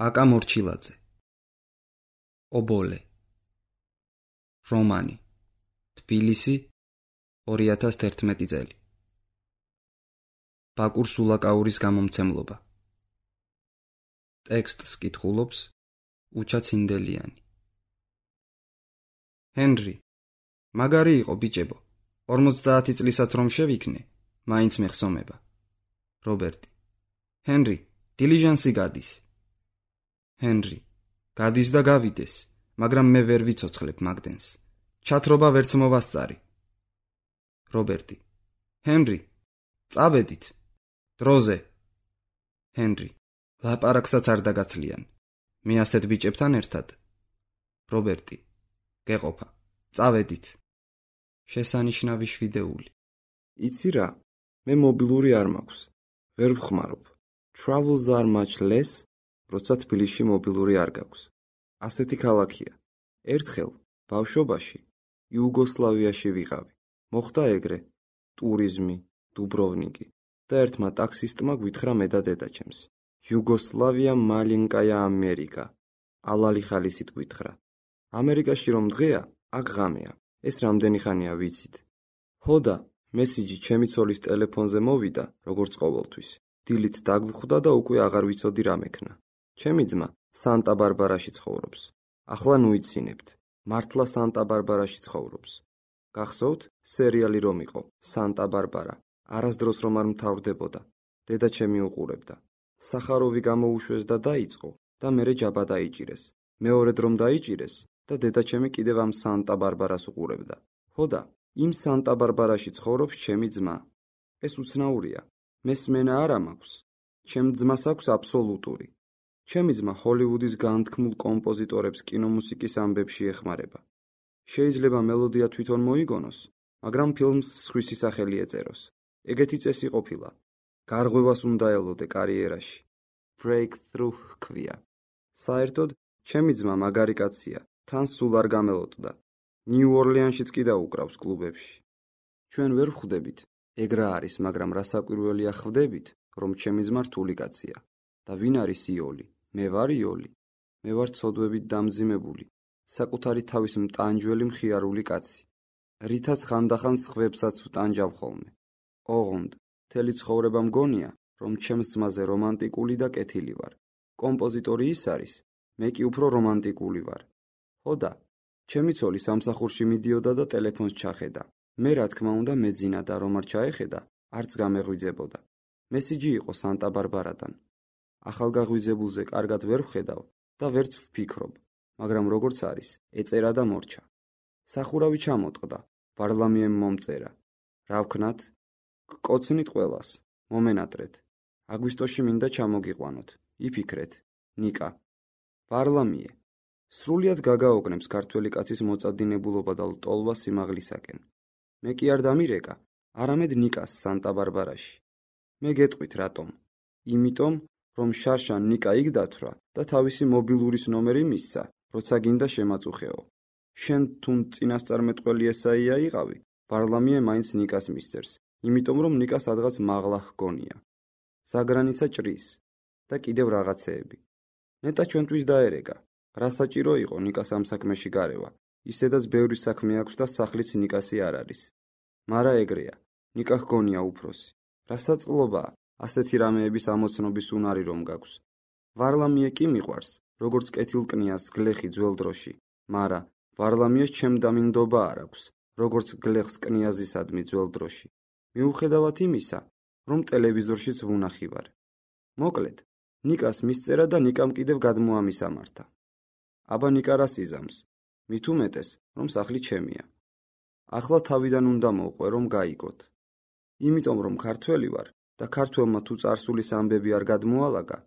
აკა მორჩილაძე. ობოლე. რომანი. თბილისი 2011 წელი. ბაკურ სულაკაურის გამომცემლობა. ტექსტს კითხულობს უჩა ცინდელიანი. ჰენრი, მაგარი იყო ბიჭებო. 50 წლისაც რომ შევიქნე, მაინც მეხსომება. რობერტი. ჰენრი, დილიჟანსი გადის. ჰენრი, გადის და გავიდეს, მაგრამ მე ვერ ვიცოცხლებ მაგდენს. ჩათრობა ვერც მოვასწარი. რობერტი. ჰენრი, წავედით. დროზე. ჰენრი, ლაპარაკსაც არ დაგაცლიან. მე ასეთ ბიჭებთან ერთად. რობერტი. გეყოფა. წავედით. შესანიშნავი შვიდეული. იცი რა, მე მობილური არ მაქვს. ვერ ვხმარობ. Travels are much less, როცა თბილისში მობილური არ გაქვს. ასეთი ქალაქია. ერთხელ ბავშვობაში იუგოსლავიაში ვიყავი. მოხდა ეგრე, ტურიზმი, დუბროვნიკი და ერთმა ტაქსისტმა გვითხრა მე და დედაჩემს. იუგოსლავია მალინკაია ამერიკა. ალალი ხალისით გვითხრა. ამერიკაში რომ დღეა, აქ ღამეა. ეს რამდენი ხანია ვიცით? ჰოდა, მესიჯი ჩემი ცოლის ტელეფონზე მოვიდა, როგორც ყოველთვის. დილით დაგვხვდა და უკვე აღარ ვიცოდი რა მექნა. ჩემი ძმა სანტა-ბარბარაში ცხოვრობს. ახლა ნუიცინებთ. მართლა სანტა-ბარბარაში ცხოვრობს. გახსოვთ, სერიალი რომ იყო, სანტა-ბარბარა, არასდროს რომ არ მთავრდებოდა. დედა ჩემი უყურებდა. სახაროვი გამოუშვეს და დაიწყო და მერე ჯაბა დაიჭირეს. მეორედ რომ დაიჭირეს და დედა ჩემი კიდევ ამ სანტა-ბარბარას უყურებდა. ჰოდა, იმ სანტა-ბარბარაში ცხოვრობს ჩემი ძმა. ეს უცნაურია. მესმენა არა მაქვს. ჩემ ძმას აქვს აბსოლუტური. ჩემი ძმა ჰოლივუდის განთქმულ კომპოზიტორებს კინომუსიკის ამბებში ეხმარება. შეიძლება მელოდია თვითონ მოიგონოს, მაგრამ ფილმს სხვისი სახელი ეწეროს. ეგეთი წესი ყოფილა. გარღვევას უნდა ელოდე კარიერაში. Breakthrough ჰქვია. საერთოდ, ჩემი ძმა მაგარი კაცია, თან სულ არ გამელოდდა. ნიუ-ორლეანშიც კი დაუკრავს კლუბებში. ჩვენ ვერ ვხვდებით, ეგ რა არის, მაგრამ რასაკვირველია ხვდებით, რომ ჩემი ძმა რთული კაცია. და ვინ არის იოლი? მე ვარ იოლი. მე ვარ ცოდვებით დამძიმებული, საკუთარი თავის მტანჯველი მხიარული კაცი. რითაც ხანდახან სხვებსაც ვტანჯავ ხოლმე. ოღონდ, მთელი ცხოვრება მგონია, რომ ჩემს ძმაზე რომანტიკული და კეთილი ვარ. კომპოზიტორი ის არის, მე კი უფრო რომანტიკული ვარ. ჰოდა, ჩემი ცოლი სამსახურში მიდიოდა და ტელეფონს ჩახედა. მე რა თქმა უნდა მეძინა და რომ არ ჩაეხედა, არც გამეღვიძებოდა. მესიჯი იყო სანტა-ბარბარადან. ახალგაღვიძებულზე კარგად ვერ ვხედავ და ვერც ვფიქრობ, მაგრამ როგორც არის, ეწერა და მორჩა. სახურავი ჩამოტყდა, ვარლამიემ მომწერა. რა ვქნათ? გკოცნით ყველას, მომენატრეთ. აგვისტოში მინდა ჩამოგიყვანოთ. იფიქრეთ, ნიკა. ვარლამიე. სრულიად გაგაოგნებს ქართველი კაცის მოწადინებულობა და ლტოლვა სიმაღლისაკენ. მე კი არ დამირეკა, არამედ ნიკას სანტა-ბარბარაში. მე გეტყვით რატომ? იმიტომ, რომ შარშან ნიკა იქ დათვრა და თავისი მობილურის ნომერი მისცა, როცა გინდა შემაწუხეო. შენ თუნ წინასწარმეტყველი ესაია იყავი, ვარლამიე მაინც ნიკას მისწერს, იმიტომ რომ ნიკა სადღაც მაღლა ჰგონია. საგრანიცა ჭრის და კიდევ რაღაცეები. ნეტა ჩვენთვის დაერეკა. რა საჭირო იყო ნიკას ამ საქმეში გარევა? ისედაც ბევრი საქმე აქვს და სახლიც ნიკასი არ არის. მარა ეგრეა, ნიკა ჰგონია უფროსი. რა საწყლობაა ასეთი რამეების ამოცნობის უნარი რომ გაქვს. ვარლამიე კი მიყვარს, როგორც კეთილკნიას გლეხი ძველ დროში, მარა ვარლამიეს ჩემ დამინდობა არ აქვს, როგორც გლეხს კნიაზისადმი ძველ დროში. მიუხედავად იმისა, რომ ტელევიზორშიც ვუნახი ვარ. მოკლედ, ნიკას მისწერა და ნიკამ კიდევ გადმოამისამართა. აბა ნიკა რას იზამს? მით უმეტეს, რომ სახლი ჩემია. ახლა თავიდან უნდა მოვყვე, რომ გაიგოთ. იმიტომ რომ ქართველი ვარ და ქართველმა თუ წარსულის ამბები არ გადმოალაგა,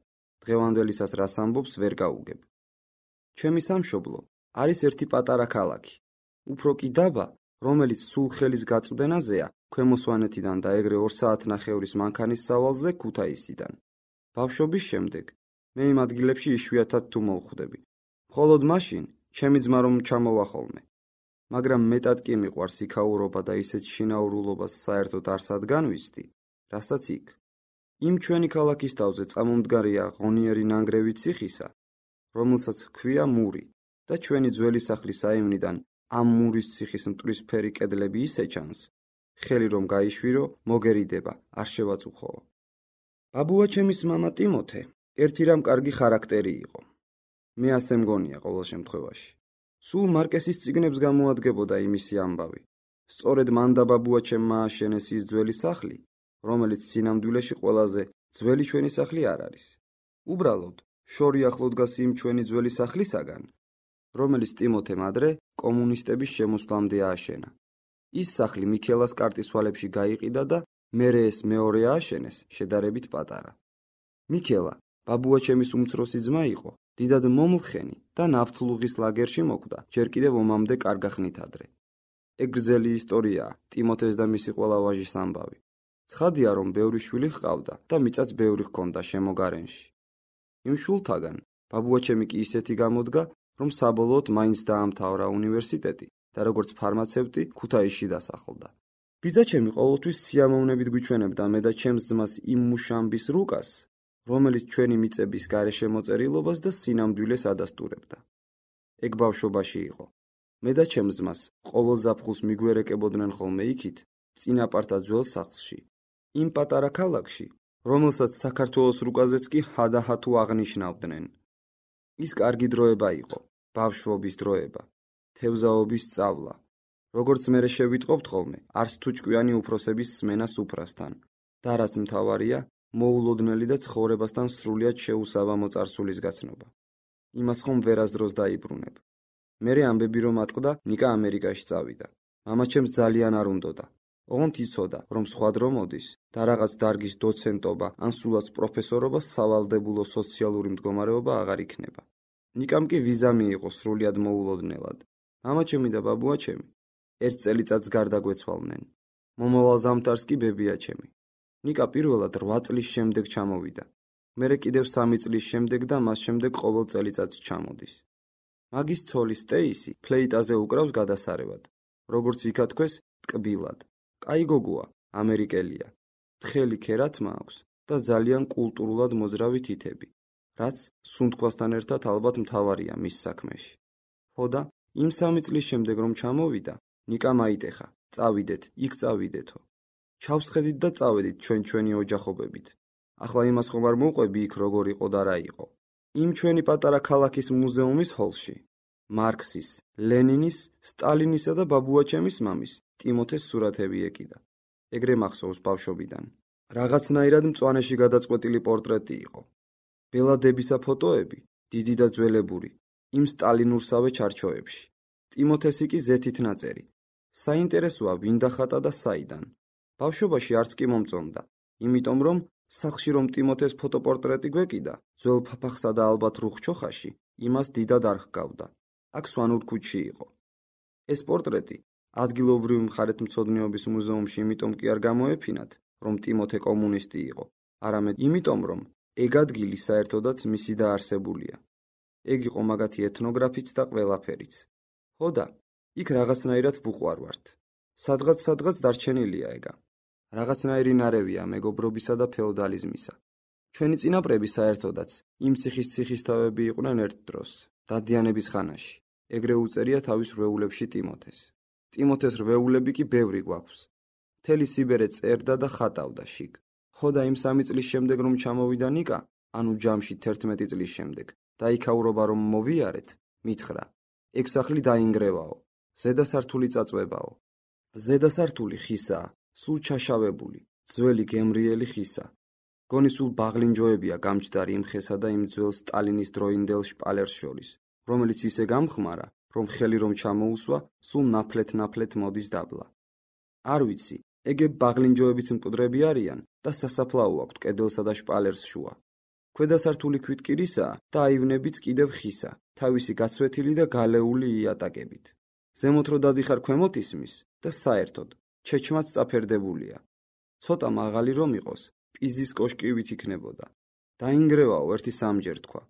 დღევანდელისას რას ამბობს ვერ გაუგებ. ჩემი სამშობლო არის ერთი პატარა ქალაქი. უფრო კი დაბა, რომელიც სულ ხელის გაწვდენაზეა ქვემო სვანეთიდან და ეგრე 2 საათნახევრის მანქანის სავალზე ქუთაისიდან. ბავშვობის შემდეგ მე იმ ადგილებში იშვიათად თუ მოვხვდები. მხოლოდ მაშინ, ჩემი ძმა რომ ჩამოვა ხოლმე. მაგრამ მეტად კი მიყვარს იქაურობა და ისეთ შინაურულობას საერთოდ არ სადგანვისდი, რასაც იქ. იმ ჩვენი ქალაქის თავზე წამომდგარია ღონიერი ნანგრევი ციხისა რომელსაც ჰქვია მური და ჩვენი ძველი სახლის საივნიდან ამ მურის ციხის მტვრისფერი კედლები ისე ჩანს, ხელი რომ გაიშვირო, მოგერიდება, არ შევაწუხოო. ბაბუაჩემის მამა ტიმოთე ერთი რამ კარგი ხარაქტერი იყო. მე ასე მგონია ყოველ შემთხვევაში. სულ მარკესის წიგნებს გამოადგებოდა იმისი ამბავი. სწორედ მან და ბაბუაჩემმა ააშენეს ის ძველი სახლი, რომელიც სინამდვილეში ყველაზე ძველი ჩვენი სახლი არ არის. უბრალოდ, შორი ახლო დგას იმ ჩვენი ძველი სახლისაგან, რომელიც ტიმოთემ ადრე კომუნისტების შემოსვლამდე ააშენა. ის სახლი მიქელას კარტისვალებში გაიყიდა და მერე ეს მეორე ააშენეს, შედარებით პატარა. მიქელა, ბაბუაჩემის უმცროსი ძმა იყო, დიდად მომლხენი და ნავთლუღის ლაგერში მოკვდა, ჯერ კიდევ ომამდე კარგა ხნით ადრე. ეგ გრძელი ისტორიაა, ტიმოთეს და მისი ყველა ვაჟის ამბავი. ცხადია, რომ ბევრი შვილი ჰყავდა და მიწაც ბევრი ჰქონდა შემოგარენში. იმ შვილთაგან ბაბუაჩემი კი ისეთი გამოდგა, რომ საბოლოოდ მაინც დაამთავრა უნივერსიტეტი და როგორც ფარმაცევტი ქუთაისში დასახლდა. ბიძაჩემი ყოველთვის სიამოვნებით გვიჩვენებდა მე და ჩემს ძმას იმ მუშამბის რუკას, რომელიც ჩვენი მიწების გარეშე მოწერილობას და სინამდვილეს ადასტურებდა. ეგ ბავშვობაში იყო. მე და ჩემს ძმას ყოველ ზაფხულს მიგვერეკებოდნენ ხოლმე იქით, წინაპართა ძველ სახლში, იმ პატარა ქალაქში, რომელსაც საქართველოს რუკაზეც კი ჰადაჰა თუ აღნიშნავდნენ. ის კარგი დროება იყო, ბავშვობის დროება, თევზაობის სწავლა. როგორც მერე შევიტყობთ ხოლმე, არც თუ ჭკვიანი უფროსების სმენა სუფრასთან და რაც მთავარია, მოულოდნელი და ცხოვრებასთან სრულიად შეუსაბამო წარსულის გაცნობა. იმას ხომ ვერასდროს დაიბრუნებ. მერე ამბები რომ ატყდა, ნიკა ამერიკაში წავიდა. მამაჩემს ძალიან არ უნდოდა. ოღონდ იცოდა, რომ სხვა დრო მოდის და რაღაც დარგის დოცენტობა ან სულაც პროფესორობა სავალდებულო სოციალური მდგომარეობა აღარ იქნება. ნიკამ კი ვიზა მიიღო სრულიად მოულოდნელად. მამაჩემი და ბაბუაჩემი ერთ წელიწადს გარდა გვეცვალნენ. მომავალ ზამთარს კი ბებიაჩემი. ნიკა პირველად 8 წლის შემდეგ ჩამოვიდა. მერე კიდევ 3 წლის შემდეგ და მას შემდეგ ყოველ წელიწადს ჩამოდის. მაგის ცოლი სტეისი ფლეიტაზე უკრავს გადასარევად. როგორც იქათქვეს, ტკბილად. კაი გოგოა, ამერიკელია. თხელი ქერათმა აქვს და ძალიან კულტურულად მოძრავი თითები, რაც სუნთქვასთან ერთად ალბათ მთავარია მის საქმეში. ხოდა, იმ 3 წლის შემდეგ რომ ჩამოვიდა, ნიკა მაიტეხა, წავიდეთ, იქ წავიდეთო. ჩავსხედით და წავედით ჩვენი ოჯახობებით. ახლა იმას ხომ არ მოვყვები იქ როგორ იყო და რა იყო. იმ ჩვენი პატარა ქალაქის მუზეუმის ჰოლში. მარქსის, ლენინის, სტალინისა და ბაბუაჩემის მამის, ტიმოთეს სურათები ეკიდა. ეგრე მახსოვს ბავშვობიდან. რაღაცნაირად მწვანეში გადაწყვეტილი პორტრეტი იყო. ბელადებისა ფოტოები, დიდი და ძველებური, იმ სტალინურსავე ჩარჩოებში. ტიმოთესი კი ზეთით ნაწერი. საინტერესოა ვინ დახატა და საიდან. ბავშვობაში არც კი მომწონდა, იმიტომ რომ სახლში რომ ტიმოთეს ფოტოპორტრეტი გვეკიდა, ძველ ფაფახსა და ალბათ რუხჩოხაში, იმას დიდად არ ჰგავდა. აქ სვანურ ქუჩში იყო. ეს პორტრეტი ადგილობრივი მხარეთმცოდნეობის მუზეუმში იმიტომ კი არ გამოეფინათ, რომ ტიმოთე კომუნისტი იყო, არამედ იმიტომ, რომ ეგ ადგილი საერთოდაც მისი დაარსებულია. ეგ იყო მაგათი ეთნოგრაფიც და ყველაფერიც. ხოდა, იქ რაღაცნაირად ვუყვარვართ. სადღაც დარჩენილია ეგა. რაღაცნაირი ნარევია მეგობრობისა და ფეოდალიზმისა. ჩვენი წინაპრები საერთოდაც იმ ციხისთავები იყვნენ ერთ დროს, დადიანების ხანაში. ეგრე უწერია თავის რვეულებში ტიმოთეს. ტიმოთეს რვეულები კი ბევრი გვაქვს. მთელი სიბერე წერდა და ხატავდა შიგ. ხოდა იმ 3 წლის შემდეგ რომ ჩამოვიდა ნიკა, ანუ ჯამში 11 წლის შემდეგ, და იქაურობა რომ მოვიარეთ, მითხრა, ეგ სახლი დაინგრევაო, ზედასართული წაწვებაო. ზედასართული ხისაა, სულ ჩაშავებული, ძველი გემრიელი ხისა. გონი სულ ბაღლინჯოებია გამჯდარი იმ ხესა და იმ ძველ სტალინის დროინდელ შპალერს შორის, რომელიც ისე გამხმარა, რომ ხელი რომ ჩამოუსვა, სულ ნაფლეთ მოდის დაბლა. არ ვიცი, ეგ ბაღლინჯოებიც მკვდრები არიან და სასაფლაო აქვთ კედელსა და შპალერს შუა. ქვედა სართული ქვითკირისაა და აივნებიც კიდევ ხისა, თავისი გაცვეთილი და გალეული იატაკებით. ზემოთ რო დადიხარ ქვემოთ ისმის და საერთოდ ჩეჩმაც წაფერდებულია. ცოტა მაღალი რომ იყოს, პიზის კოშკივით იქნებოდა. დაინგრევაო ერთი სამჯერ თქვა.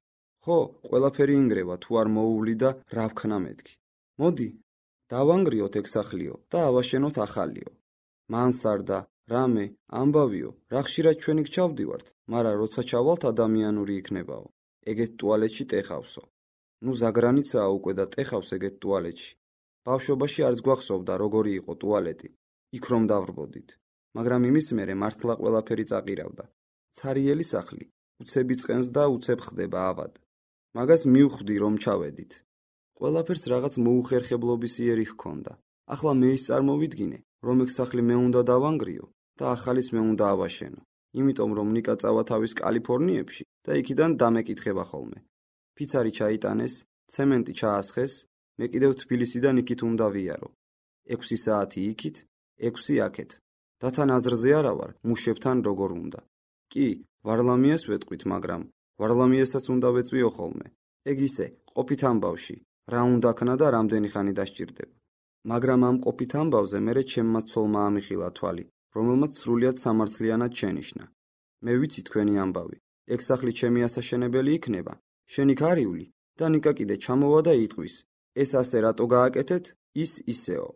ხო, ყველაფერი ინგრევა თუ არ მოუვლი და რა ვქნა მეთქი. მოდი, დავანგრიოთ ეგ სახლიო და ავაშენოთ ახალიო. მანსარდა, რამე, ამბავიო, რა ხშირად ჩვენი გჩავდივართ, მაგრამ როცა ჩავალთ ადამიანური იქნებაო. ეგეთ ტუალეტში ტეხავსო. ნუ ზაგრანიცაა უკვე და ტეხავს ეგეთ ტუალეტში. ბავშვობაში არც გვახსოვდა როგორი იყო ტუალეტი, იქ რომ დავრბოდით. მაგრამ იმის მერე მართლა ყველაფერი წაყირავდა. ცარიელი სახლი, უცებ იწყენს და უცებ ხდება ავად. მაგას მივხვდი რომ ჩავედით. ყველაფერს რაღაც მოუხერხებლობის იერი ჰქონდა. ახლა მე ის წარმოვიდგინე, რომ ეგ სახლი მე უნდა დავანგრიო და ახალის მე უნდა ავაშენო. იმიტომ რომ ნიკა წავა თავის კალიფორნიებში და იქიდან დამეკითხება ხოლმე. ფიცარი ჩაიტანეს, ცემენტი ჩაასხეს, მე კიდევ თბილისიდან იქით უნდა ვიარო. 6 საათი იქით, 6 აქეთ. და თან აზრზე არა ვარ, მუშებთან როგორ უნდა. კი, ვარლამიას ვეტყვით, მაგრამ ვარლამიასაც უნდა ვეწვიო ხოლმე. ეგ ისე, ყოფით ამბავში, რა უნდა ქნა და რამდენი ხანი დასჭირდება. მაგრამ ამ ყოფით ამბავზე მერე ჩემმა ცოლმა ამიხილა თვალი, რომელმაც სრულიად სამართლიანად შენიშნა. მე ვიცი თქვენი ამბავი, ეგ სახლი ჩემი ასაშენებელი იქნება, შენ იქ არივლი და ნიკა კიდე ჩამოვა და იტყვის, ეს ასე რატო გააკეთეთ, ის ისეო.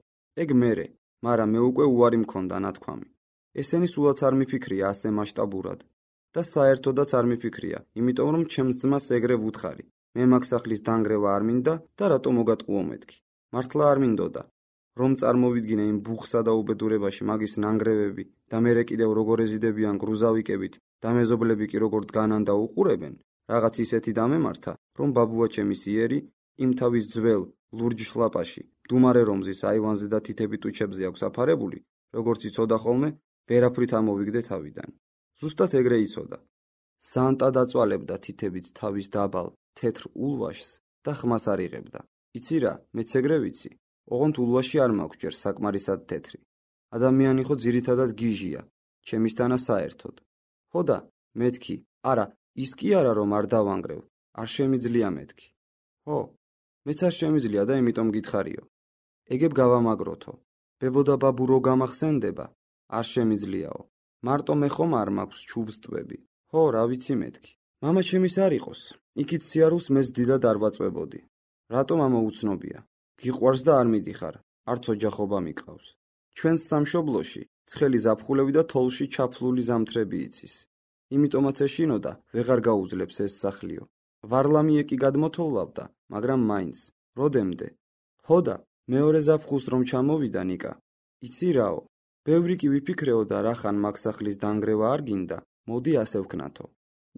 ეგ მერე, მაგრამ მე უკვე უარი მქონდა ნათქვამი. ესენი სულაც არ მიფიქრია ასე მასშტაბურად და საერთოდაც არ მიფიქრია, იმიტომ რომ ჩემს ძმას ეგრე ვუთხარი. მე მაგ სახლის დანგრევა არ მინდა და რატო მოგატყუო მეთქი. მართლა არ მინდოდა. რომ წარმოვიდგინე იმ ბუხსა და უბედურებაში მაგის ნანგრევები და მერე კიდევ როგორ ეზიდებიან გრუზავიკებით და მეზობლები კი როგორ დგანან და უყურებენ, რაღაც ისეთი დამემართა, რომ ბაბუა ჩემის იერი იმ თავის ძველ ლურჯ შლაპაში, დუმარე რომზის აივანზე და თითები ტუჩებზე აქვს აფარებული, როგორც იცოდა ხოლმე, ვერაფრით ამოვიგდე თავიდან. ზუსტად ეგრე იცოდა. სანტა დაწვალებდა თითებით თავის დაბალ, თეთრ ულვაშს და ხმას არ იღებდა. იცი რა, მეც ეგრე ვიცი. ოღონდ ულვაში არ მაქვს ჯერ საკმარისად თეთრი. ადამიანი ხო ძირითადად გიჟია, ჩემისთანა საერთოდ. ხო და, მეთქი, არა, ის კი არა რომ არ დავანგრევ, არ შემიძლია მეთქი. ხო, მეც არ შემიძლია და იმიტომ გითხარიო. ეგებ გავამაგროთო. ბებო და ბაბუ რო გამახსენდება, არ შემიძლიაო. მარტო მე ხომ არ მაქვს ჩუვს ტბები. ხო, რა ვიცი მეთქი. მამა ჩემის არ იყოს, იქით სიარულს მეც დიდად არ ვაწვებოდი. რატომ ამა უცნობია? გიყვარს და არ მიდიხარ, არც ოჯახობა მიყავს. ჩვენს სამშობლოში ცხელი ზაფხულები და თოლში ჩაფლული ზამთრები იცის. იმიტომაც ეშინოდა, ვეღარ გაუძლებს ეს სახლიო. ვარლამიე კი გადმოთოვლავდა, მაგრამ მაინც, როდემდე? ხო და, მეორე ზაფხულს რომ ჩამოვიდა ნიკა. იცი რაო, ბევრი კი ვიფიქრეო და რახან მაგ სახლის დანგრევა არ გინდა, მოდი ასე ვქნათო.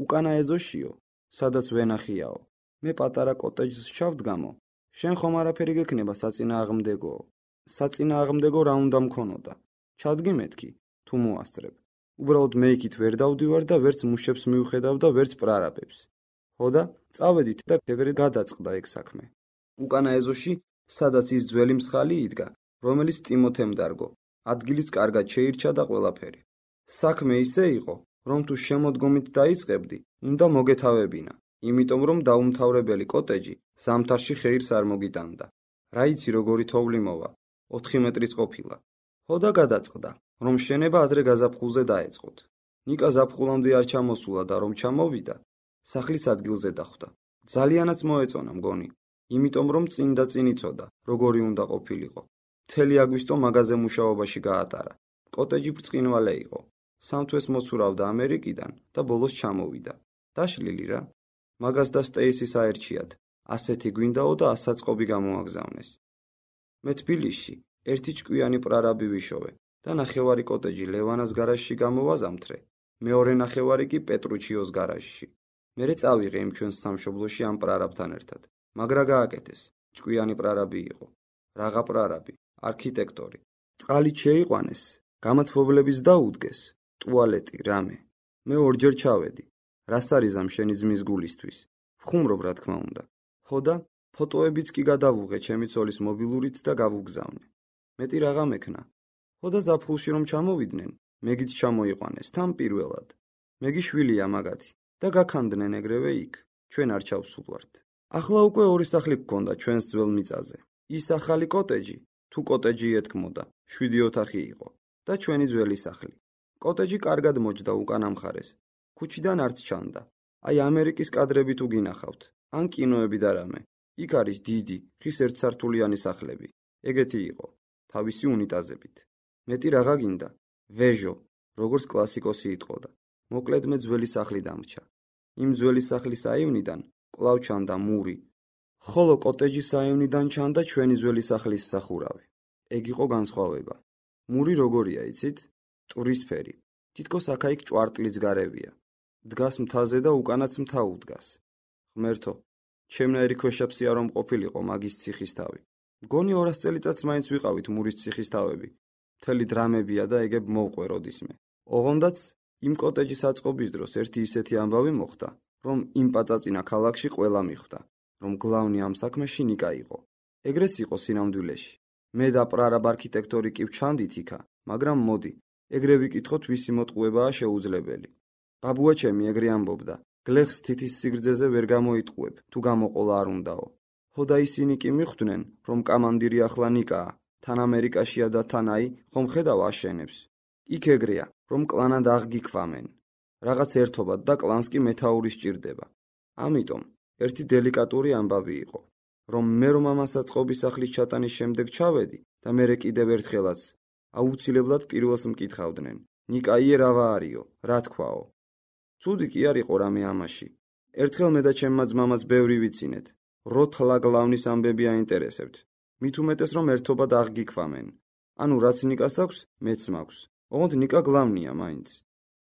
უკანა ეზოშიო, სადაც ვენახიაო. მე პატარა კოტეჯს ჩავდგამო. შენ ხომ არაფერი გექნება საწინააღმდეგოო. საწინააღმდეგო რა უნდა მქონოდა? ჩადგი მეთქი, თუ მოასწრებ. უბრალოდ მე იქით ვერ დავდივარ და ვერც მუშებს მივხედავ და ვერც პრარაბებს. ხო და, წავედით და ეგრე გადაწყდა ეგ საქმე. უკანა ეზოში, სადაც ის ძველი მსხალი იდგა, რომელიც ტიმოთემ დარგო, ადგილიც კარგად შეირჩა და ყველაფერი. საქმე ისე იყო, რომ თუ შემოდგომით დაიწყებდი, უნდა მოგეთავებინა. იმიტომ რომ დაუმთავრებელი კოტეჯი ზამთარში ხეირს არ მოგიტანდა. რა იცი როგორი თოვლი მოვა, 4 მეტრის ყოფილა. ხო და გადაწყდა, რომ შენება ადრე გაზაფხულზე დაეწყოთ. ნიკა ზაფხულამდე არ ჩამოსულა და რომ ჩამოვიდა, სახლის ადგილზე დახვდა. ძალიანაც მოეწონა მგონი, იმიტომ რომ წინ და წინ იცოდა, როგორი უნდა ყოფილიყო. მთელი აგვისტო მაღაზე მუშაობაში გაატარა. კოტეჯი ბრწყინვალე იყო. 3 თვეს მოცურავდა ამერიკიდან და ბოლოს ჩამოვიდა. დაშლილი რა. მაგას და სტეისის აერჩიათ, ასეთი გვინდაო და ასაწყობი გამოაგზავნეს. მე თბილისში ერთი ჭკვიანი პრარაბი ვიშოვე და ნახევარი კოტეჯი ლევანას გარაჟში გამოვაზამთრე, მეორე ნახევარი კი პეტრუჩიოს გარაჟში. მერე წავიღე იმ ჩვენს სამშობლოში ამ პრარაბთან ერთად. მაგრა გააკეთეს, ჭკვიანი პრარაბი იყო. რაღა პრარაბი, არქიტექტორი. წყალით შეიყვანეს, გამათბობლების დაუდგეს, ტუალეტი, რამე. მე ორჯერ ჩავედი. რას არიზამ შენი ძმის გულისთვის? ვხუმრობ რა თქმა უნდა. ხო და, ფოტოებიც კი გადავუღე ჩემი ცოლის მობილურით და გავუგზავნე. მეტი რაღა მექნა. ხო და ზაფხულში რომ ჩამოვიდნენ, მეგიც ჩამოიყვანეს თან პირველად. მეგი შვილია მაგათი და გაქანდნენ ეგრევე იქ. ჩვენ არ ჩავსულვართ. ახლა უკვე 2 სახლი გქონდა ჩვენს ძველ მიწაზე. ის ახალი კოტეჯი, თუ კოტეჯი ეთქმოდა, 7 ოთახი იყო და ჩვენი ძველი სახლი. კოტეჯი კარგად მოჯდა უკანა მხარეს. ქუჩიდან არც ჩანდა. აი ამერიკის კადრები თუ გინახავთ, ან კინოები და რამე. იქ არის დიდი, ხის ერთსართულიანი სახლები. ეგეთი იყო, თავისი უნიტაზებით. მეტი რაღა გინდა? ვეჟო, როგორც კლასიკოსი იტყოდა. მოკლედ მე ძველი სახლი დამრჩა. იმ ძველი სახლის აივნიდან კვლავ ჩანდა მური. ხოლო კოტეჯის საევნიდან ჩანდა ჩვენი ძველი სახლის სახურავი. ეგ იყო განსხვავება. მური როგორია, იცით? ტურისფერი. თითქოს აქა-იქ ჭვარტლიც გარევია. დგას მთაზე და უკანაც მთა უდგას. ღმერთო, ჩემნაირი ქვეშაპსია რომ ყოფილიყო მაგის ციხის თავი. მგონი 200 წელიწადს მაინც ვიყავით მურის ციხის თავები. მთელი დრამებია და ეგებ მოვყვე როდისმე. ოღონდაც იმ კოტეჯის აწყობის დროს ერთი ისეთი ამბავი მოხდა, რომ იმ პაწაწინა ქალაქში ყველა მიხვდა, რომ გლავნი ამ საქმეში ნიკა იყო. ეგრეც იყო სინამდვილეში. მე და პრარაბ არქიტექტორი კი ვჩანდით იქა, მაგრამ მოდი, ეგრე ვიკითხოთ ვისი მოტყუებაა შეუძლებელი. ბაბუა ჩემი ეგრე ამბობდა, გლეხს თითის სიგრძეზე ვერ გამოიტყუებ, თუ გამოყოლა არ უნდაო. ხო და ისინი კი მიხვდნენ, რომ კამანდირი ახლა ნიკაა, თან ამერიკაშია და თან აი, ხომ ხედავ აშენებს. იქ ეგრეა, რომ კლანად აღგიქვამენ. რაღაც ერთობად და კლანს კი მეთაური სჭირდება. ამიტომ, ერთი დელიკატური ამბავი იყო, რომ მე რომ ამას აწყობის სახლის ჩატანის შემდეგ ჩავედი და მერე კიდევ ერთხელაც, აუცილებლად პირველს მკითხავდნენ, ნიკაიე რავა არისო, რა თქვაო. ცუდი კი არ იყო რამე ამაში. ერთხელ მე და ჩემმა ძმამაც ბევრი ვიცინეთ. როთლა გლავნის ამბები აინტერესებთ. მით უმეტეს რომ ერთობად აღგიქვამენ. ანუ რაც ნიკას აქვს, მეც მაქვს. ოღონდ ნიკა გლავნია მაინც.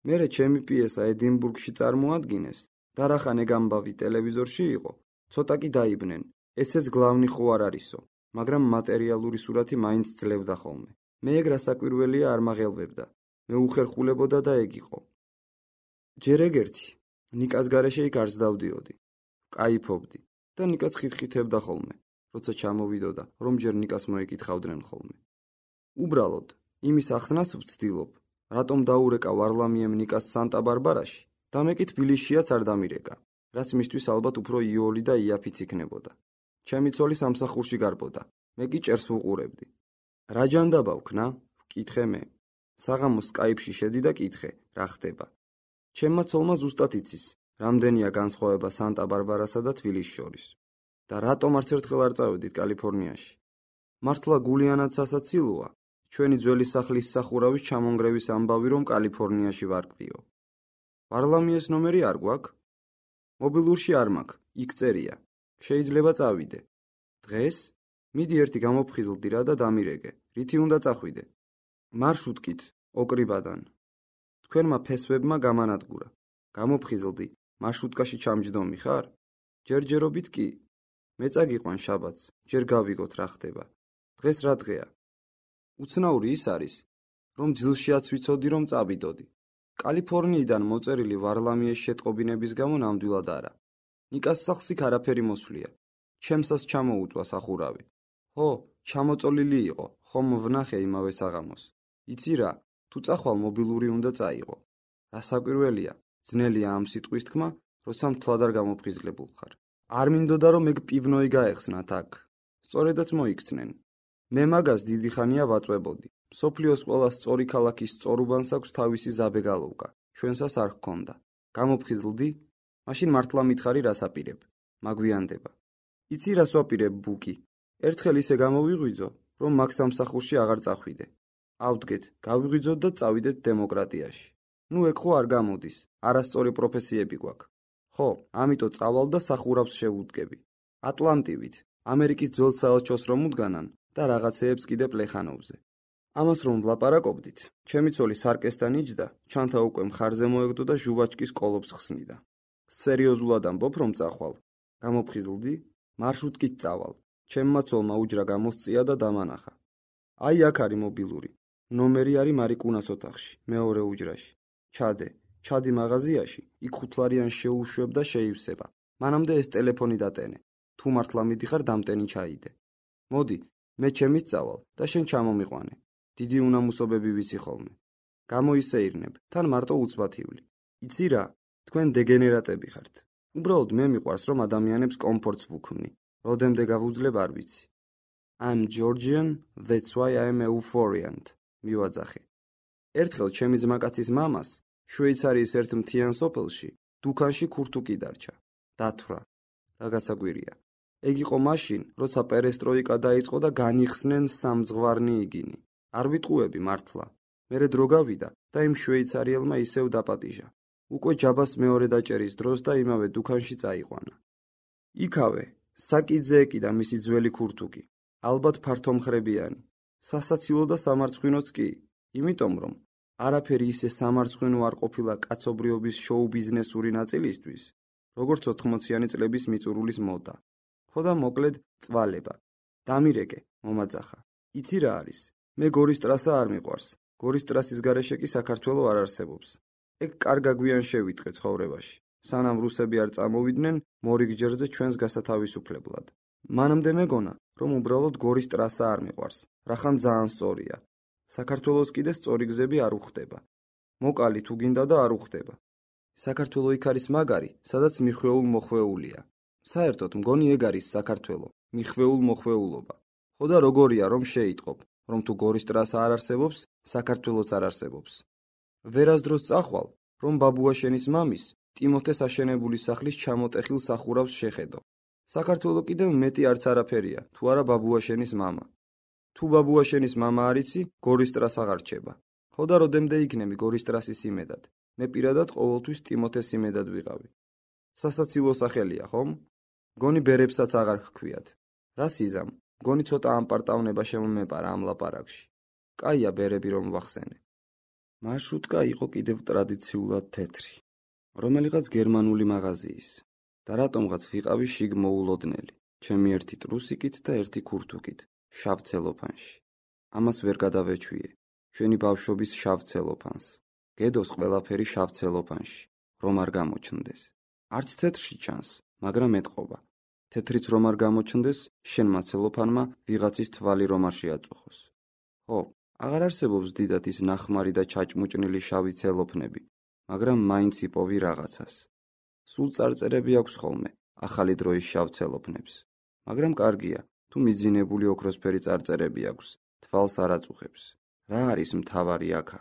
მერე ჩემი პიესა ედინბურგში წარმოადგინეს და რახან ეგ ამბავი ტელევიზორში იყო, ცოტა კი დაიბნენ. ესეც გლავნი ხო არ არისო, მაგრამ მატერიალური სურათი მაინც ძლევდა ხოლმე. მე ეგ რასაკვირველია არ მაღელვებდა. მე უხერხულებოდა და ეგ იყო. ჯერ ეგერთი, ნიკას გარეშე იქ არც დავდიოდი. კაიფობდი და ნიკაც ხითხითებდა ხოლმე, როცა ჩამოვიდოდა, რომ ჯერ ნიკას მოეკითხავდნენ ხოლმე. უბრალოდ, იმის ახსნას ვცდილობ, რატომ დაურეკა ვარლამიემ ნიკას სანტა-ბარბარაში და მე კი თბილისშიაც არ დამირეკა, რაც მისთვის ალბათ უფრო იოლი და იაფიც იქნებოდა. ჩემი ცოლი სამსახურში გარბოდა, მე კი ჭერს ვუყურებდი. რა ჯანდაბა ვქნა? ვკითხე მე. საღამოს სკაიპში შედი და კითხე, რა ხდება. ჩემმა ცოლმა ზუსტად იცის, რამდენია განსხვავება სანტა-ბარბარასა და თბილისს შორის. და რატომ არც ერთხელ არ წავედით კალიფორნიაში? მართლა გულიანად სასაცილოა, ჩვენი ძველი სახლის სახურავის ჩამონგრევის ამბავი რომ კალიფორნიაში ვარკვიო. ვარლამიეს ნომერი არ გვაქვს? მობილურში არ მაქვს, იქ წერია. შეიძლება წავიდე. დღეს? მიდი ერთი გამოფხიზლდი რა და დამირეკე. რითი უნდა წახვიდე? მარშრუტკით, ოკრიბადან. თქვენმა ფესვებმა გამანადგურა. გამოფხიზლდი, მარშრუტკაში ჩამჯდომი ხარ? ჯერჯერობით კი. მე წაგიყვან შაბათს, ჯერ გავიგოთ რა ხდება. დღეს რა დღეა? უცნაური ის არის, რომ ძილშიაც ვიცოდი რომ წავიდოდი. კალიფორნიიდან მოწერილი ვარლამიეს შეტყობინების გამო ნამდვილად არა. ნიკას სახლს იქ არაფერი მოსვლია. ჩემსაც ჩამოუწვა სახურავი. ხო, ჩამოწოლილი იყო, ხომ ვნახე იმავე საღამოს. იცი რა, თუ წახვალ მობილური უნდა წაიღო. რასაკვირველია, ძნელია ამ სიტყვის თქმა, როცა მთლად არ გამოფხიზლებულ ხარ. არ მინდოდა რომ ეგ პივნოი გაეხსნათ აქ. სწორედაც მოიქცნენ. მე მაგას დიდი ხანია ვაწვებოდი. მსოფლიოს ყველა სწორი ქალაქის სწორუბანს აქვს თავისი ზაბეგალოვკა. ჩვენსას არ ჰქონდა. გამოფხიზლდი? მაშინ მართლა მითხარი რას აპირებ. მაგვიანდება. იცი რას ვაპირებ ბუკი? ერთხელ ისე გამოვიღვიძო, რომ მაგ სამსახურში აღარ წახვიდე. ავდგეთ, გავიღვიძოთ და წავიდეთ დემოკრატიაში. ნუ ეგ ხო არ გამოდის, არასწორი პროფესიები გვაქვს. ხო, ამიტომ წავალ და სახურავს შევუდგები. ატლანტივით, ამერიკის ძველ საელჩოს რომ უდგანან და რაღაცეებს კიდე პლეხანოვზე. ამას რომ ვლაპარაკობდით, ჩემი ცოლი სარკესთან იჯდა, ჩანთა უკვე მხარზე მოეგდო და ჟუვაჩკის კოლოფს ხსნიდა. სერიოზულად ამბობ რომ წახვალ. გამოფხიზლდი? მარშრუტკით წავალ. ჩემმა ცოლმა უჯრა გამოსწია და დამანახა. აი აქ არის მობილური. ნომერი არის მარიკუნას ოთახში, მეორე უჯრაში. ჩადი მაღაზიაში, იქ $5 შეუშვებ და შეივსება. მანამდე ეს ტელეფონი დატენე. თუ მართლა მიდიხარ დამტენი ჩაიდე. მოდი, მე ჩემით წავალ და შენ ჩამომიყვანე. დიდი უნამუსობები ვიცი ხოლმე. გამოისეირნებ, თან მარტო უცბათივლი. იცი რა, თქვენ დეგენერატები ხართ. უბრალოდ მე მიყვარს რომ ადამიანებს კომფორტს ვუქმნი. როდემდე გავუძლებ არ ვიცი. I'm Georgian, that's why I'm euphoriant. მივაძახე. ერთხელ ჩემი ძმაკაცის მამას შვეიცარიის ერთ მთიან სოფელში დუქანში ქურთუკი დარჩა. დათვრა. რა გასაკვირია. ეგ იყო მაშინ, როცა პერესტროიკა დაიწყო და განიხსნენ სამძღვარნი იგინი. არ ვიტყუები მართლა. მერე დრო გავიდა და იმ შვეიცარიელმა ისევ დაპატიჟა. უკვე ჯაბას მეორე დაჭერის დროს და იმავე დუქანში წაიყვანა. იქავე, საკიძეეკი და მისი ძველი ქურთუკი, ალბათ ფართომხრებიანი, სასაცილო და სამარცხვინოც კი, იმიტომ რომ არაფერი ისე სამარცხვინო არ ყოფილა კაცობრიობის შოუ-ბიზნესური ნაწილისთვის, როგორც 80-იანი წლების მიწურულის მოდა. ხო და მოკლედ წვალება. დამირეკე, მომაძახა. იცი რა არის? მე გორის ტრასა არ მიყვარს. გორის ტრასის გარეშე კი საქართველო არ არსებობს. ეგ კარგა გვიან შევიტყე ცხოვრებაში. სანამ რუსები არ წამოვიდნენ მორიგჯერზე ჩვენს გასათავისუფლებლად. მანამდე მეგონა, რომ უბრალოდ გორის ტრასა არ მიყვარს, რახან ძალიან სწორია. საქართველოს კიდე სწორი გზები არ უხდება. მოკალი თუ გინდა და არ უხდება. საქართველო იქ არის მაგარი, სადაც მიხვეულ-მოხვეულია. საერთოდ მგონი ეგ არის საქართველო, მიხვეულ-მოხვეულობა. ხო და როგორია რომ შეიტყობ, რომ თუ გორის ტრასა არ არსებობს, საქართველოც არ არსებობს. ვერასდროს წახვალ, რომ ბაბუაშენის მამის ტიმოთეს აშენებული სახლის ჩამოტეხილ სახურავს შეხედო. საქართველო კიდევ მეტი არც არაფერია, თუ არა ბაბუაშენის მამა. თუ ბაბუაშენის მამა არ იცი, გორის ტრასა აღარ რჩება. ხო და როდემდე იქნები გორის ტრასის იმედად? მე პირადად ყოველთვის ტიმოთეს იმედად ვიყავი. სასაცილო სახელია, ხომ? მგონი ბერებსაც აღარ ჰქვიათ. რა სიზამ? მგონი ცოტა ამპარტავნება შემომეპარა ამ ლაპარაკში. კაია ბერები რომ ვახსენე. მარშრუტკა იყო კიდევ ტრადიციულად თეთრი, რომელიღაც გერმანული მაღაზიის და რატომღაც ვიყავი შიგ მოულოდნელი, ჩემი ერთი ტრუსიკით და ერთი ქურთუკით, შავ ცელოფანში. ამას ვერ გადავეჩვიე, ჩვენი ბავშვობის შავ ცელოფანს. გედოს ყველაფერი შავ ცელოფანში, რომ არ გამოჩნდეს. არც თეთრში ჩანს, მაგრამ ეტყობა. თეთრიც რომ არ გამოჩნდეს, შენმა ცელოფანმა ვიღაცის თვალი რომ არ შეაწუხოს. ხო, აღარ არსებობს დიდად ის ნახმარი და ჩაჭმუჭნილი შავი ცელოფნები, მაგრამ მაინც იპოვი რაღაცას. სულ წარწერები აქვს ხოლმე ახალი დროის შავ ცელოფნებს, მაგრამ კარგია, თუ მიძინებული ოქროსფერი წარწერები აქვს, თვალს არ აწუხებს. რა არის მთავარი აქა?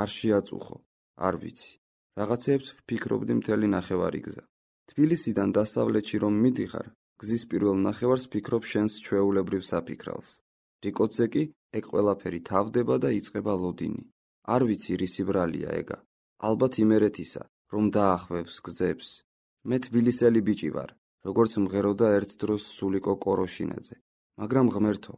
არ შეაწუხო, არ ვიცი. რაღაცეებს ვფიქრობდი მთელი ნახევარი გზა. თბილისიდან დასავლეთში რომ მიდიხარ, გზის პირველ ნახევარს ვფიქრობ შენს ჩვეულებრივ საფიქრალს. რიკოძე კი ეგ ყველაფერი თავდება და იწყება ლოდინი. არ ვიცი რისი ბრალია ეგა. ალბათ იმერეთისა, რომ დაახვევს გზებს. მე თბილისელი ბიჭი ვარ, როგორც მღეროდა ერთ დროს სულიკო კოროშინაძე. მაგრამ ღმერთო,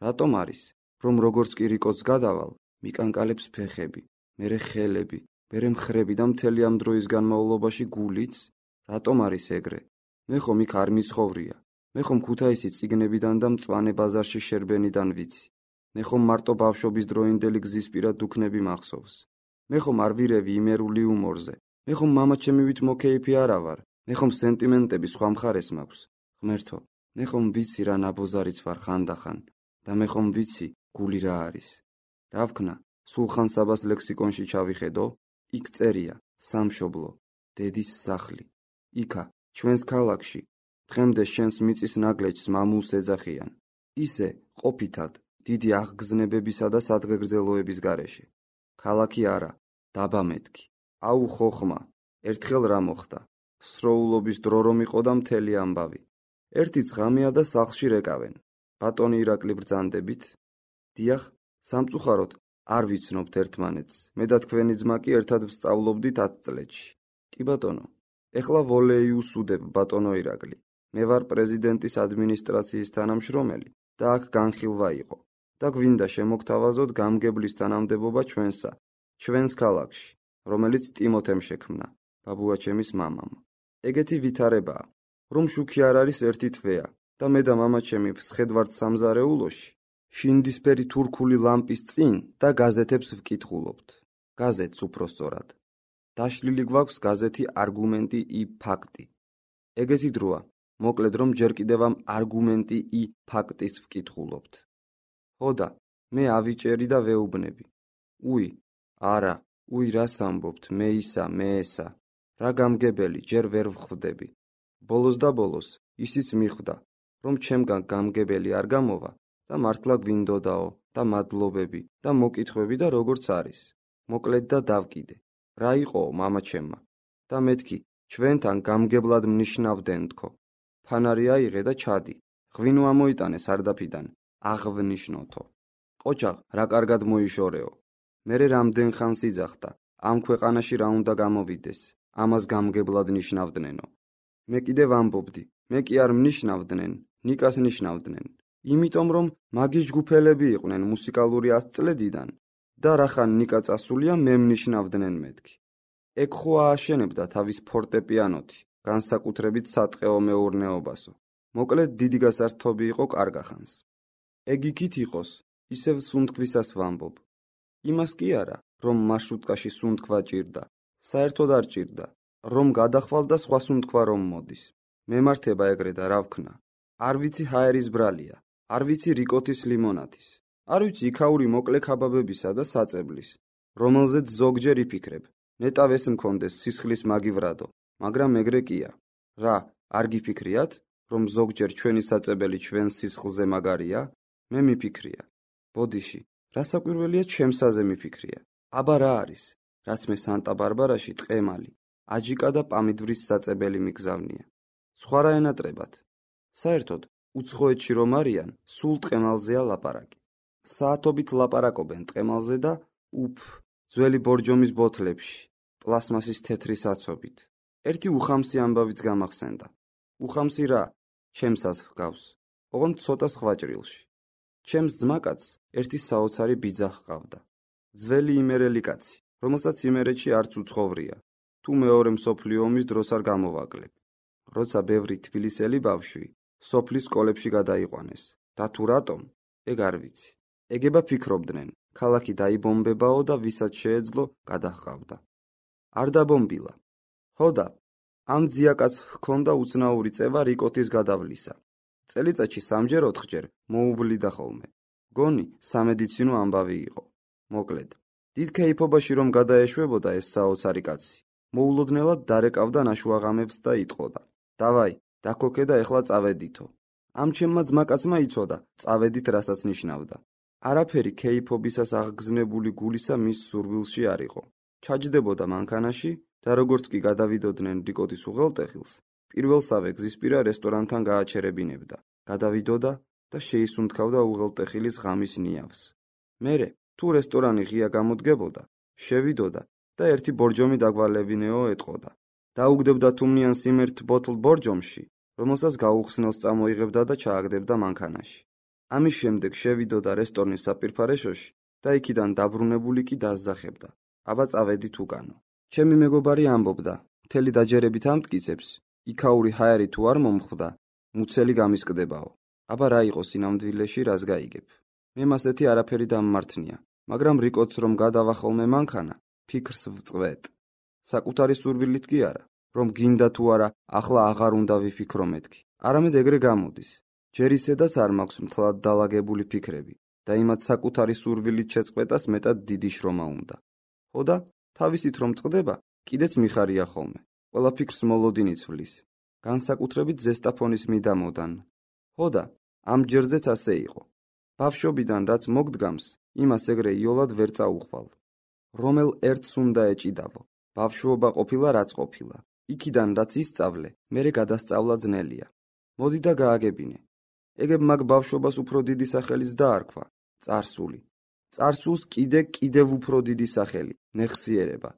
რატომ არის, რომ როგორც კი რიკოძს გადავალ, მიკანკალებს ფეხები, მერე ხელები, მერე მხრები და მთელი ამ დროის განმავლობაში გულიც? რატომ არის ეგრე? მე ხომ იქ არ მიცხოვრია. მე ხომ ქუთაისის წიგნებიდან და მწვანე ბაზარში შერბენიდან ვიცი. მე ხომ მარტო ბავშვობის დროინდელი გზისპირა დუქნები მახსოვს. მე ხომ არ ვირევი იმერული უმორზე. მე ხომ მამაჩემივით მოკეიფი არა ვარ. მე ხომ სენტიმენტები სხვა მხარეს მაქვს. ღმერთო, მე ხომ ვიცი რა ნაბოზარიც ვარ ხანდახან და მე ხომ ვიცი გული რა არის. რა ვქნა, სულხან საბას ლექსიკონში ჩავიხედო, იქ წერია სამშობლო, დედის სახლი. იქა, ჩვენს ქალაქში, დღემდე შენს მიწის ნაგლეჯს მამულს ეძახიან. ისე, ყოფითად, დიდი აღგზნებებისა და სადღეგრძელოების გარეშე. ქალაქი არა, დაბა მეთქი. აუ ხოხმა, ერთხელ რა მოხდა? სროულობის დრო რომ იყო და მთელი ამბავი. ერთი ძღამია და სახლში რეკავენ. ბატონი ირაკლი ბრძანდებით? დიახ, სამწუხაროდ არ ვიცნობთ ერთმანეთს. მე და თქვენი ძმა კი ერთად ვსწავლობდით 10 წლებში. კი ბატონო, ეხლა ვოლეიუს უდებ ბატონო ირაკლი. მე ვარ პრეზიდენტის ადმინისტრაციის თანამშრომელი და აქ განხილვა იყო. და გვინდა შემოგთავაზოთ გამგებლის თანამდებობა ჩვენსა, ჩვენს ქალაქში, რომელიც ტიმოთემ შექმნა, ბაბუაჩემის მამამ. ეგეთი ვითარებაა, რომ შუქი არ არის ერთი თვეა და მე და მამაჩემი ვსხედვართ სამზარეულოში, შინდისფერი თურქული ლამპის წინ და გაზეთებს ვკითხულობთ. გაზეთს უფრო სწორად. დაშლილი გვაქვს გაზეთი არგუმენტი i ფაქტი. ეგეთი დროა, მოკლედ რომ ჯერ კიდევ ამ არგუმენტი i ფაქტის ვკითხულობთ. ხოდა, მე ავიჭერი და ვეუბნები. უი, არა, უი რას ამბობთ, მე ისა, მე ესა. რა გამგებელი, ჯერ ვერ ვხვდები. ბოლოს და ბოლოს, ისიც მიხვდა, რომ ჩემგან გამგებელი არ გამოვა და მართლა გვინდოდაო და მადლობები და მოკითხვები და როგორც არის. მოკლედ და დავკიდე. რა იყოო მამაჩემმა? და მეთქი, ჩვენთან გამგებლად მნიშნავდნენ თქო. ფანარი აიღე და ჩადი. ღვინო ამოიტანე სარდაფიდან. აღვნიშნოთო. ყოჩაღ, რა კარგად მოიშორეო. მერე რამდენ ხანს იძახდა, ამ ქვეყანაში რა უნდა გამოვიდეს, ამას გამგებლად ნიშნავდნენო. მე კიდევ ამბობდი, მე კი არ მნიშნავდნენ, ნიკას ნიშნავდნენ. იმიტომ რომ მაგის ჯგუფელები იყვნენ მუსიკალური 10 წლედიდან და რახან ნიკა წასულია მე მნიშნავდნენ მეთქი. ეგ ხო ააშენებდა თავის ფორტეპიანოთი, განსაკუთრებით სატყეო მეურნეობასო. მოკლედ დიდი გასართობი იყო კარგახანს. ეგ იქით იყოს, ისევ სუნთქვისას ვამბობ. იმას კი არა, რომ მარშრუტკაში სუნთქვა ჭირდა, საერთოდ არ ჭირდა, რომ გადახვალ და სხვა სუნთქვა რომ მოდის. მემართება ეგრე და რა ვქნა. არ ვიცი ჰაერის ბრალია, არ ვიცი რიკოთის ლიმონათის, არ ვიცი იქაური მოკლე ქაბაბებისა და საწებლის, რომელზეც ზოგჯერ იფიქრებ, ნეტავ ეს მქონდეს სისხლის მაგივრადო, მაგრამ ეგრე კია. რა, არ გიფიქრიათ, რომ ზოგჯერ ჩვენი საწებელი ჩვენ სისხლზე მაგარია? მე მიფიქრია. ბოდიში, რა საკვირველია ჩემსაზე მიფიქრია. აბა რა არის, რაც მე სანტა-ბარბარაში ტყემალი, აჯიკა და პამიდვრის საწებელი მიგზავნია. სხვა რა ენატრებათ. საერთოდ, უცხოეთში რომ არიან, სულ ტყემალზეა ლაპარაკი. საათობით ლაპარაკობენ ტყემალზე და ძველი ბორჯომის ბოთლებში, პლასმასის თეთრი საცობით. ერთი უხამსი ამბავიც გამახსენდა. უხამსი რა, ჩემსას ჰგავს, ოღონდ ცოტა სხვა ჭრილში. ჩემს ძმაკაცს ერთი საოცარი ბიძა ჰყავდა. ძველი იმერელი კაცი, რომელსაც იმერეთში არც უცხოვრია, თუ მეორე მსოფლიო ომის დროს არ გამოვაკლებ. როცა ბევრი თბილისელი ბავშვი სოფლის სკოლებში გადაიყვანეს და თუ რატომ, ეგ არ ვიცი. ეგება ფიქრობდნენ, ქალაქი დაიბომბებაო და ვისაც შეეძლო გადაჰყავდა. არ დაბომბილა. ჰოდა, ამ ძიაკაც ჰქონდა უცნაური წევა რიკოთის გადავლისა. წელიწადში 3-4 მოუვლიდა ხოლმე. გონი სამედიცინო ამბავი იყო. მოკლედ, დიდ ქეიფობაში რომ გადაეშვებოდა ეს საოცარი კაცი, მოულოდნელად დარეკავდა ნაშუაღამებს და იტყოდა: დავაი, დაქოქე და ეხლა წავედითო. ამ ჩემმა ძმაკაცმა იცოდა, წავედით რასაც ნიშნავდა. არაფერი ქეიფობისას აღგზნებული გულისა მის სურვილში არ იყო. ჩაჯდებოდა მანქანაში და როგორც კი გადავიდოდნენ რიკოთის უღელტეხილს, პირველსავე გზისპირა რესტორანთან გააჩერებინებდა. გადავიდოდა და შეისუნთქავდა უღელტეხილის ღამის ნიავს. მერე, თუ რესტორანი ღია გამოდგებოდა, შევიდოდა და ერთი ბორჯომი დაგვალევინეო ეტყოდა. დაუგდებდა თუმნიან სიმერთ ბოთლ ბორჯომში, რომელსაც გაუხსნელს წამოიღებდა და ჩააგდებდა მანქანაში. ამის შემდეგ შევიდოდა რესტორნის საპირფარეშოში და იქიდან დაბრუნებული კი დასძახებდა. აბა წავედით უკანო. ჩემი მეგობარი ამბობდა, მთელი დაჯერებით ამტკიცებს, იქაური ჰაერი თუ არ მომხვდა, მუცელი გამისკდებაო. აბა რა იყო სინამდვილეში, რას გაიგებ. მე მასეთი არაფერი დამმართნია, მაგრამ რიკოთს რომ გადავა ხოლმე მანქანა, ფიქრს ვწვეთ. საკუთარი სურვილით კი არა, რომ გინდა თუ არა, ახლა აღარ უნდა ვიფიქრო მეთქი. არამედ ეგრე გამოდის. ჯერ ისედაც არ მაქვს მთლად დალაგებული ფიქრები და იმათ საკუთარი სურვილით შეწყვეტას მეტად დიდი შრომა უნდა. ხოდა, თავისით რომ წყდება, კიდეც მიხარია ხოლმე. ყველა ფიქრს მოლოდინი ცვლის. განსაკუთრებით ზესტაფონის მიდამოდან. ხოდა, ამ ჯერზეც ასე იყო. ბავშვობიდან რაც მოგდგამს, იმას ეგრე იოლად ვერ წაუხვალ. რომელ ერთს უნდა ეჭიდავო. ბავშვობა ყოფილა რაც ყოფილა. იქიდან რაც ისწავლე, მერე გადასწავლა ძნელია. მოდი და გააგებინე. ეგებ მაგ ბავშვობას უფრო დიდი სახელიც დაარქვა, წარსული. წარსულს კიდევ უფრო დიდი სახელი, მეხსიერება.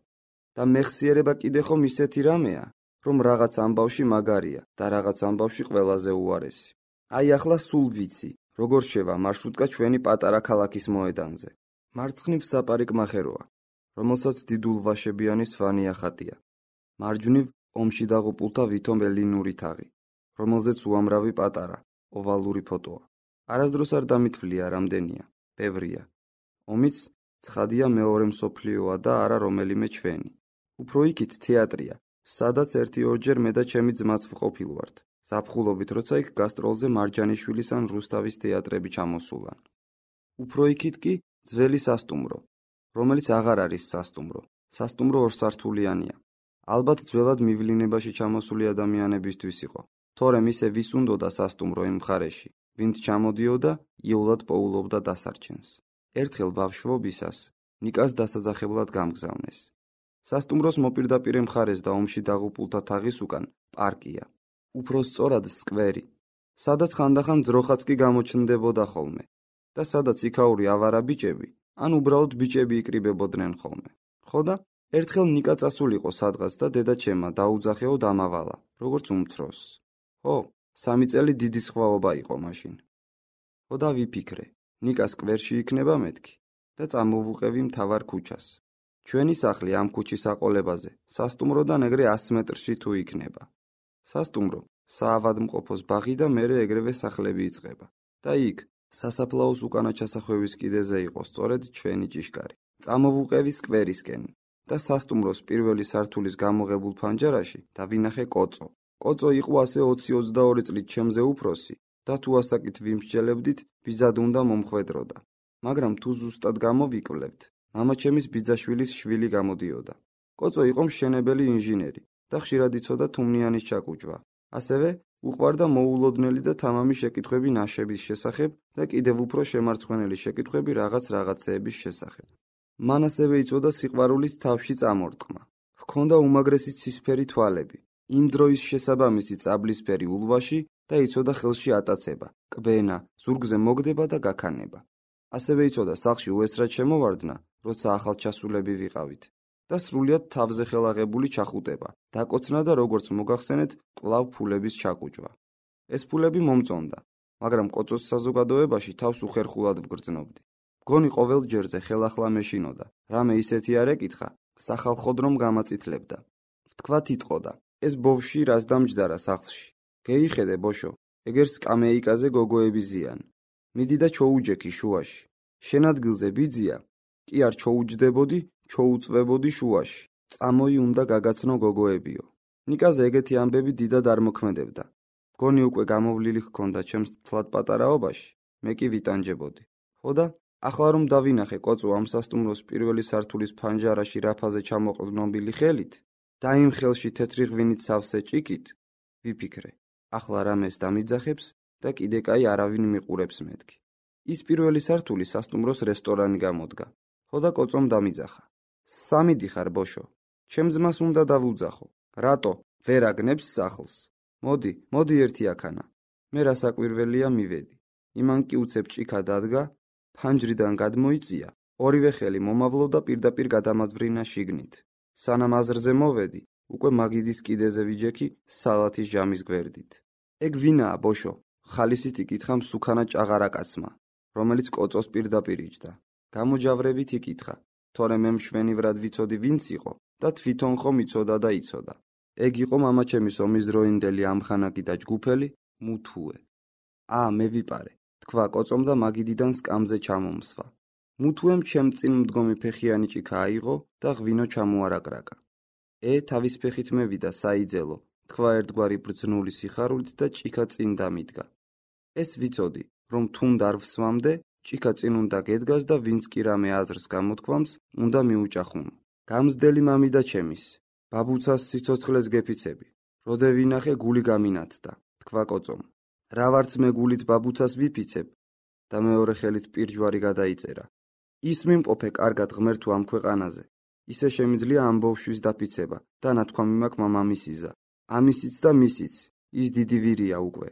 და მეხსიერება კიდე ხომ ისეთი რამეა, რომ რაღაც ამბავში მაგარია და რაღაც ამბავში ყველაზე უარესი. აი ახლა სულ ვიცი, როგორ შევა მარშრუტკა ჩვენი პატარა ქალაქის მოედანზე. მარცხნივ საპარიკ მახეროა, რომელსაც დიდულვაშებიანი სვანია ხატია. მარჯვნივ ომში დაღუპულთა ვითომ ელინური თაღი, რომელზეც უამრავი პატარა, ოვალური ფოტოა. არასდროს არ დამითვლია რამდენია, ბევრია. ომიც ცხადია მეორე მსოფლიოა და არა რომელიმე ჩვენი. უფრო იქით თეატრია, სადაც 1-2 მე და ჩემი ძმაც ვყოფილვართ. ზაფხულობით, როცა იქ გასტროლზე მარჯანიშვილის ან რუსთავის თეატრები ჩამოსულან. უფრო იქით კი ძველი სასტუმრო, რომელიც აღარ არის სასტუმრო. სასტუმრო ორსართულიანია. ალბათ ძველად მივლინებაში ჩამოსული ადამიანებისთვის იყო. თორემ ისე ვის უნდოდა სასტუმრო იმ მხარეში, ვინც ჩამოდიოდა, იოლად პოულობდა დასარჩენს. ერთხელ ბავშვობისას ნიკას დასაძახებლად გამგზავნეს. სასტუმროს მოპირდაპირე მხარეს და ომში დაღუპულთა თაღის უკან პარკია. უფრო სწორად სკვერი, სადაც ხანდახან ძროხაც კი გამოჩნდებოდა ხოლმე და სადაც იქაური ავარა ბიჭები, ან უბრალოდ ბიჭები იკრიბებოდნენ ხოლმე. ხოდა, ერთხელ ნიკა წასულიყო სადღაც და დედა ჩემმა დაუძახეო დამავალა, როგორც უმცროსს. ხო, 3 წელი დიდი სხვაობა იყო მაშინ. ხოდა ვიფიქრე, ნიკა სკვერში იქნება მეთქი და წამოვუყევი მთავარ ქუჩას. ჩვენი სახლი ამ ქუჩის აყოლებაზე, სასტუმროდან ეგრე 100 მეტრში თუ იქნება. სასტუმრო, საავადმყოფოს ბაღი და მერე ეგრევე სახლები იწყება. და იქ, სასაფლაოს უკანა ჩასახვევის კიდეზე იყო სწორედ ჩვენი ჭიშკარი. წამოვუყევი სკვერისკენ და სასტუმროს პირველი სართულის გამოღებულ ფანჯარაში დავინახე კოწო. კოწო იყო ასე 20-22 წლით ჩემზე უფროსი და თუ ასაკით ვიმსჯელებდით, ბიძად უნდა მომხვედროდა. მაგრამ თუ ზუსტად გამოვიკვლევთ, მამაჩემის ბიძაშვილის შვილი გამოდიოდა. კოწო იყო მშენებელი ინჟინერი და ხშირად იცოდა თუმნიანის ჩაკუჭვა. ასევე უყვარდა მოულოდნელი და თამამი შეკითხვები ნაშების შესახებ და კიდევ უფრო შემარცხვენელი შეკითხვები რაღაცეების შესახებ. მან ასევე იცოდა სიყვარულით თავში წამორტყმა. ჰქონდა უმაგრესი ცისფერი თვალები, იმ დროის შესაბამისი წაბლისფერი ულვაში და იცოდა ხელში ატაცება, კბენა, ზურგზე მოგდება და გაქანება. ასევე იცოდა სახლში უესრად შემოვარდნა, როცა ახალჩასულები ვიყავით და სრულიად თავზე ხელაღებული ჩახუტება, დაკოცნა და როგორც მოგახსენეთ, კვლავ ფულების ჩაკუჭვა. ეს ფულები მომწონდა, მაგრამ კოწოს საზოგადოებაში თავს უხერხულად ვგრძნობდი. მგონი ყოველ ჯერზე ხელახლა მეშინოდა, რამე ისეთი არ ეკითხა, სახალხოდ რომ გამაწითლებდა. ვთქვათ იტყოდა, ეს ბოვში რას დამჯდარა სახლში. გეიხედე ბოშო, ეგერ სკამეიკაზე გოგოები ზიან. მიდი და ჩოუჯექი შუაში. შენ ადგილზე ბიძია, კი არ ჩოუჯდებოდი, ჩოუწვებოდი შუაში. წამოი უნდა გაგაცნო გოგოებიო. ნიკაზე ეგეთი ამბები დიდად არ მოქმედებდა. მგონი უკვე გამოვლილი ჰქონდა ჩემს თლად პატარაობაში, მე კი ვიტანჯებოდი. ხოდა, ახლა რომ დავინახე კოწო ამ სასტუმროს პირველი სართულის ფანჯარაში რაფაზე ჩამოყრდნობილი ხელით და იმ ხელში თეთრი ღვინით სავსე ჭიქით, ვიფიქრე, ახლა რამეს დამიძახებს და კიდე კაი არავინ მიყურებს მეთქი. ის პირველი სართული სასტუმროს რესტორანი გამოდგა. ხოდა კოწომ დამიძახა. სამიდიხარ ბოშო, ჩემ ძმას უნდა დავუძახო. რატო? ვერ აგნებს სახლს. მოდი ერთი აქანა. მე რასაკვირველია მივედი. იმან კი უცებ ჭიქა დადგა, ფანჯრიდან გადმოიწია, ორივე ხელი მომავლო და პირდაპირ გადამაძვრინა შიგნით. სანამ აზრზე მოვედი, უკვე მაგიდის კიდეზე ვიჯექი სალათის ჟამის გვერდით. ეგ ვინაა ბოშო? ხალისით იკითხა მსუქანა ჭაღარაკაცმა, რომელიც კოწოს პირდაპირ იჯდა. გამოჯავრებით იკითხა, თორე მე მშვენივრად ვიცოდი ვინც იყო და თვითონ ხომ იცოდა და იცოდა. ეგ იყო მამაჩემის ომისდროინდელი ამხანაგი და ჯგუფელი მუთუე. მე ვიპარე, თქვა კოწომ და მაგიდიდან სკამზე ჩამომსვა. მუთუემ ჩემ წინ მდგომი ფეხიანი ჭიქა აიღო და ღვინო ჩამოარაკრაკა. თავის ფეხით მევიდა საიძელო, თქვა ერთგვარი ბრძნული სიხარულით და ჭიქა წინ დამიდგა. ეს ვიცოდი, რომ თუნდ არ ვსვამდე, ჭიქა წინ უნდა გედგას და ვინც კი რამე აზრს გამოთქვამს, უნდა მიუჭახუნო. გამზდელი მამიდა ჩემის, ბაბუცას სიცოცხლეს გეფიცები. როდე ვინახე გული გამინათდა, თქვა კოწომ. რა ვარც მე გულით ბაბუცას ვიფიცებ და მეორე ხელით პირჯვარი გადაიწერა. ის მიმყოფე კარგად ღმერთო ამ ქვეყანაზე. ისე შემიძლია ამ ბავშვის დაფიცება და ნათქვამი მაქვს მამამისიზა. ამისიც და მისიც, ის დიდი ვირია უკვე.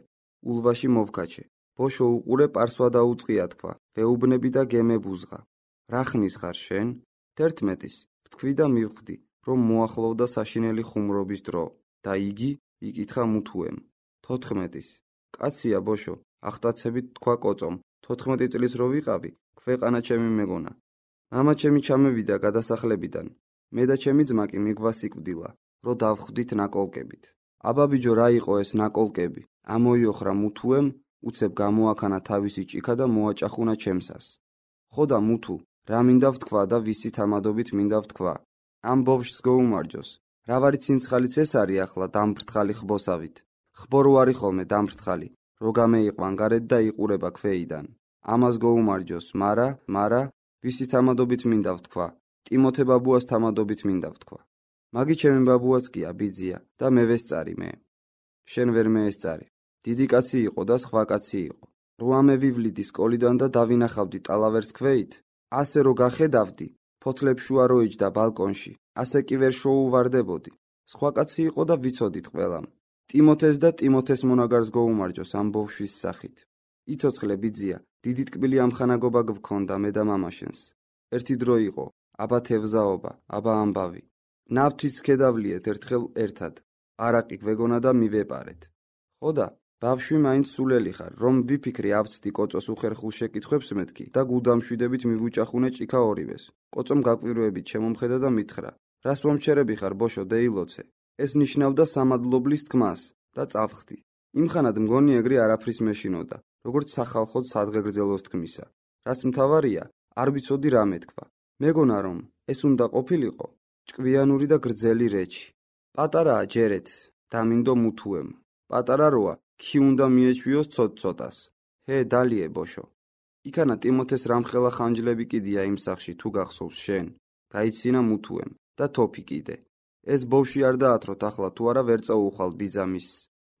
ულვაში მოვქაჩე. ბოშო უყურე პარსვა დაუწყია თქვა, ვეუბნები და გემებუზღა. რა ხნის ხარ შენ? 11-ის, ვთქვი და მივხვდი, რომ მოახლოვდა საშინელი ხუმრობის დრო და იგი იკითხა მუთუემ. 14-ის. კაცია ბოშო, ახტაცებით თქვა კოწომ, 14 წლის რო ვიყავი, ქვეყანა ჩემი მეგონა. მამა ჩემი ჩამევიდა გადასახლებიდან. მე და ჩემი ძმა კი მიგვასიკვდილა, რო დავხვდით ნაკოლკებით. აბაბიჯო რა იყო ეს ნაკოლკები? ამოიოხრა მუთუემ, უცებ გამოაქანა თავისი ჭიქა და მოაჭახუნა ჩემსას. ხოდა მუთუ, რა მინდა ვთქვა და ვისი თამადობით მინდა ვთქვა? ამ ბავშვს გოუმარჯოს. რა ვარი ცინცხალიც ეს არის ახლა დამფრთხალი ხბოსავით. ხბორო არის ხოლმე დამფრთხალი, რო გამეიყვან გარეთ და იყურება ქვეიდან. ამას გოუმარჯოს, მარა, ვისი თამადობით მინდა ვთქვა? ტიმოთე ბაბუას თამადობით მინდა ვთქვა. მაგი ჩემი ბაბუაც კია ბიძია და მე ვესწარი მე. შენ ვერ მეესწარი. დიდი კაცი იყო და სხვა კაცი იყო. რო ამე ვივლიდი სკოლიდან და დავინახავდი ტალავერს ქვეით, ასე რო გახედავდი, ფოთლებს შუა რო იჯდა ბალკონში, ასე კი ვერ შოუვარდებოდი. სხვა კაცი იყო და ვიცოდით ყველამ. ტიმოთეს და ტიმოთეს მონაგარს გოუმარჯოს ამ ბავშვის სახით. იცოცხლე ბიძია, დიდი ტკბილი ამხანაგობა გვქონდა მე და მამაშენს. ერთი დრო იყო, აბა თევზაობა, აბა ამბავი. ნავთვიც ქედავლიეთ ერთხელ ერთად. არაყი გვეგონა და მივეპარეთ. ხოდა ბავშვი მაინც სულელი ხარ, რომ ვიფიქრი ავწდი კოწოს უხერხულ შეკითხვებს მეთქი და გულდამშვიდებით მივუჭახუნე ჭიქა ორივეს. კოწომ გაკვირვებით შემომხედა და მითხრა: რას მომჩერები ხარ, ბოშო, დეილოცე? ეს ნიშნავდა სამადლობლის თქმას და წავხდი. იმხანად მგონი ეგრე არაფრის მეშინოდა, როგორც სახალხოდ სადღეგრძელოს თქმისა. რაც მთავარია, არ ვიცოდი რა მეთქვა. მეგონა რომ ეს უნდა ყოფილიყო ჭკვიანური და გრძელი რეჩი. პატარაა ჯერეთ, დამინდო მუთუემ. პატარა როა, კი უნდა მიეჩვიოს ცოტ-ცოტას. ჰე, დალიე ბოშო. იქანა ტიმოთეს რამხელა ხანჯლები კიდია იმ სახში თუ გახსოვს შენ. გაიცინა მუთუემ და თოფი კიდე. ეს ბოვში არ დაათროთ ახლა თუ არა ვერ წაუხვალ ბიძამის.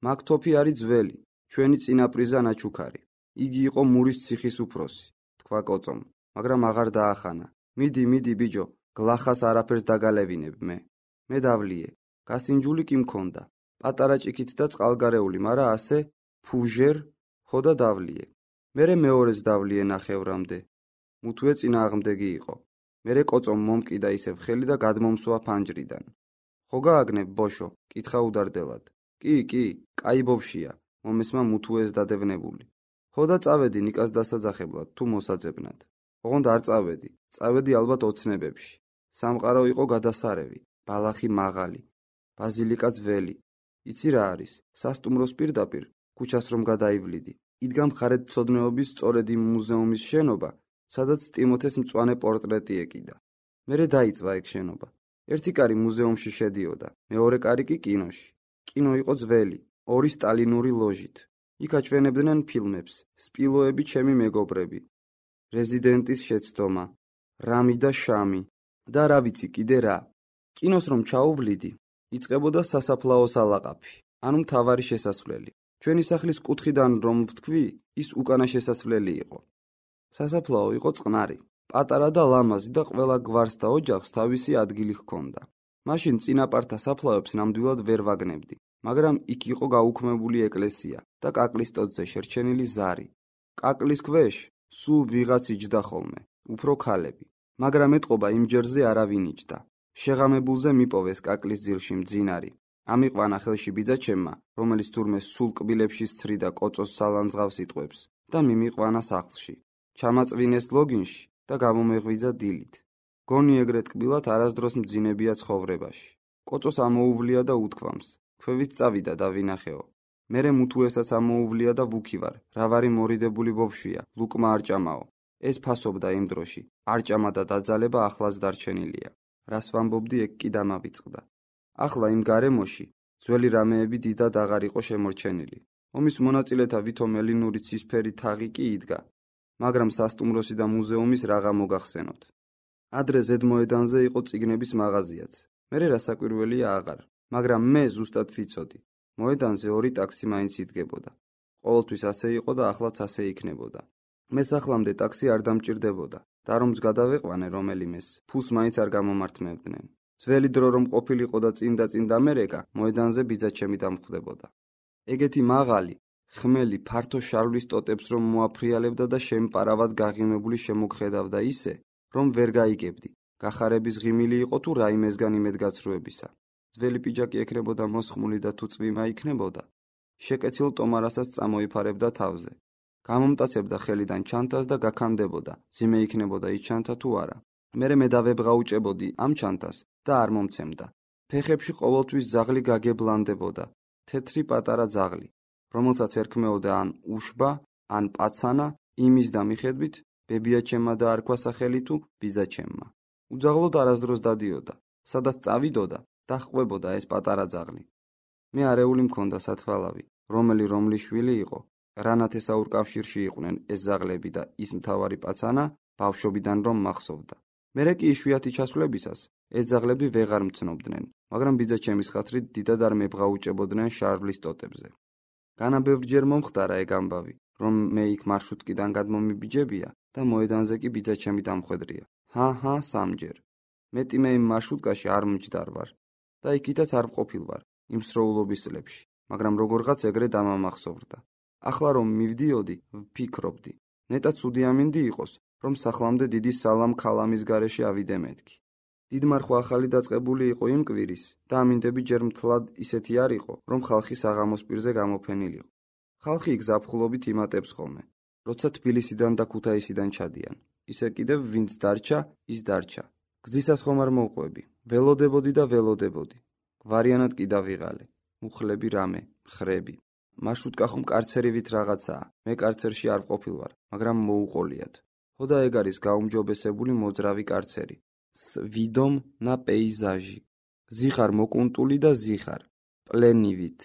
მაგ თოფი არის ძველი, ჩვენი წინაპრიზა ნაჩუქარი. იგი იყო მურის ციხის უფროსი, თქვა კოწომ, მაგრამ აღარ დაახანა. მიდი ბიჯო, გლახას არაფერს დაგალევინებ მე. მე დავლიე. გასინჯული კი მქონდა. პატარა ჭიქით და წყალგარეული, მარა ასე ფუჟერ ხო და დავლიე. მერე მეორეს დავლიე ნახევრამდე. მუთუე წინააღმდეგი იყო. მერე კოწომ მომკიდა ისევ ხელი და გადმომსვა ფანჯრიდან. ხო გააგნებ ბოშო, კითხა უდარდელად. კი, კაი ბოვშია, მომესმა მუთუეს დადევნებული. ხო და წავედი ნიკას დასაძახებლად თუ მოსაძებნად. ოღონდ არ წავედი, წავედი ალბათ ოცნებებში. სამყარო იყო გადასარევი, ბალახი მაღალი, ბაზილიკა ძველი. იცი რა არის? სასტუმროს პირდაპირ, ქუჩას რომ გადაივლიდი, იდგა მხარეთმცოდნეობის სწორედ იმ მუზეუმის შენობა, სადაც ტიმოთეს მწვანე პორტრეტი ეკიდა. მერე დაიწვა ეგ შენობა. ერთი კარი მუზეუმში შედიოდა, მეორე კარი კი კინოში. კინო იყო ძველი, ორი სტალინური ლოჟით. იქ აჩვენებდნენ ფილმებს, სპილოები ჩემი მეგობრები, რეზიდენტის შეცდომა, რამი და შამი და რა ვიცი კიდე რა. კინოს რომ ჩაუვლიდი, იწყებოდა სასაფლაოს ალაყაფი, ანუ მთავარი შესასვლელი. ჩვენი სახლის კუთხიდან რომ ვთქვი, ის უკანა შესასვლელი იყო. სასაფლაო იყო წყნარი, პატარა და ლამაზი და ყველა გვარს და ოჯახს თავისი ადგილი ჰქონდა. მაშინ წინაპართა საფლავებს ნამდვილად ვერ ვაგნებდი, მაგრამ იქ იყო გაუქმებული ეკლესია და კაკლის ტოტზე შერჩენილი ზარი. კაკლის ქვეშ სულ ვიღაც იჯდა ხოლმე, უფრო ქალები, მაგრამ ეტყობა იმ ჯერზე არავინ იჯდა. შეღამებულზე მიპოვეს კაკლის ძილში მძინარი. ამიყვანა ხელში ბიძაჩემმა, რომელიც თურმე სულ კბილებში სცრიდა კოწოს სალანძღავს იტყვებს და მიმიყვანა სახლში. ჩამაწვინეს ლოგინში და გამომეღვიძა დილით. გონი ეგრეთ კბილად არასდროს მძინებია ცხოვრებაში. კოწოს ამოუვლია და უთქვამს, ქვევით წავიდა და ვინახეო. მერე მუთუესაც ამოუვლია და ვუქივარ, რა ვარი მორიდებული ბოვშვია, ლუკმა არჭამაო. ეს ფასობდა იმ დროში, არჭამა და დაძალება ახლაც დარჩენილია. რას ვამბობდი, ეგ კი დამავიწყდა. ახლა იმ გარემოში ძველი რამეები დიდად აღარ იყო შემორჩენილი. ომის მონაწილეთა ვითომ ელინური ცისფერი თაღი კი იდგა, მაგრამ სასტუმროსი და მუზეუმის რაღა მოგახსენოთ. ადრე ზედმოედანზე იყო წიგნების მაღაზიაც. მერე რასაკვირველია აღარ, მაგრამ მე ზუსტად ვიცოდი. მოედანზე ორი ტაქსი მაინც იდგებოდა. ყოველთვის ასე იყო და ახლაც ასე იქნებოდა. მე სახლამდე ტაქსი არ დამჭირდებოდა და რომც გადავეყვანე რომელიმეს, ფულს მაინც არ გამომართმევდნენ. ძველი დრო რომ ყოფილიყო და წინ დამერეკა, მოედანზე ბიძაჩემი დამხვდებოდა. ეგეთი მაღალი, ხმელი, ფართო შარვლის ტოტებს რომ მოაფრიალებდა და შემპარავად გაღიმებული შემოგხედავდა ისე, რომ ვერ გაიგებდი, გახარების ღიმილი იყო თუ რაიმესგან იმედგაცრუებისა. ძველი პიჯაკი ექნებოდა მოსხმული და თუ წვიმა იქნებოდა, შეკეცილ ტომარასაც წამოიფარებდა თავზე. გამომტაცებდა ხელიდან ჩანთას და გაქანდებოდა, ძიმე იქნებოდა ის ჩანთა თუ არა. მერე მე დავებღაუჭებოდი ამ ჩანთას და არ მომცემდა. ფეხებში ყოველთვის ძაღლი გაგებლანდებოდა, თეთრი პატარა ძაღლი, რომელსაც ერქმეოდა ან უშბა, ან პაცანა, იმის და მიხედვით ბებიაჩემმა და არქვა სახელი თუ ბიძაჩემმა. უძაღლოდ არასდროს დადიოდა, სადაც წავიდოდა და ჰყვებოდა ეს პატარა ძაღლი. მე არეული მქონდა სათვალავი, რომლის შვილი იყო, რანათესაურ კავშირში იყვნენ ეს ზაღლები და ის მთავარი პაცანა ბავშვობიდან რომ მახსოვდა. მერე კი იშვიათი ჩასვლებისას ეს ზაღლები ვეღარ მცნობდნენ, მაგრამ ბიძაჩემის ხათრით დიდად არ მებღაუჭებოდნენ შარვლის ტოტებზე. განა ბევრჯერ მომხდარა ეგ ამბავი, რომ მე იქ მარშრუტკიდან გადმომიბიჯებია და მოედანზე კი ბიძაჩემი დამხვედრია. ჰა, სამჯერ. მეტი მე იმ მარშრუტკაში არ მჯდარ ვარ და იქითაც არ ვყოფილ ვარ იმ სროულობის წლებში, მაგრამ როგორღაც ეგრე დამამახსოვრდა. ახლა რომ მივდიოდი, ვფიქრობდი, ნეტა ცუდი ამინდი იყოს, რომ სახლამდე დიდი სალამ ქალამის გარეშე ავიდე მეთქი. დიდმარხვა ახალი დაწყებული იყო იმ კვირის და ამინდები ჯერ მთლად ისეთი არ იყო, რომ ხალხი საღამოს პირზე გამოფენილიყო. ხალხი იქ ზაფხულობით იმატებს ხოლმე. როცა თბილისიდან და ქუთაისიდან ჩადიან. ისე კიდევ ვინც დარჩა, ის დარჩა. გზისას ხომ არ მოვყვები. ველოდებოდი და ველოდებოდი. გვარიანად კი დავიღალე. მუხლები რამე, ხრები. მარშრუტკა ხომ კარცერივით რაღაცაა. მე კარცერში არ ვყოფილ ვარ, მაგრამ მოუყოლიათ. ხოდა ეგ არის გაუმჯობესებული მოძრავი კარცერი. ვიდომ და პეიზაჟი. ზიხარ მოკუნტული და ზიხარ. პლენივით.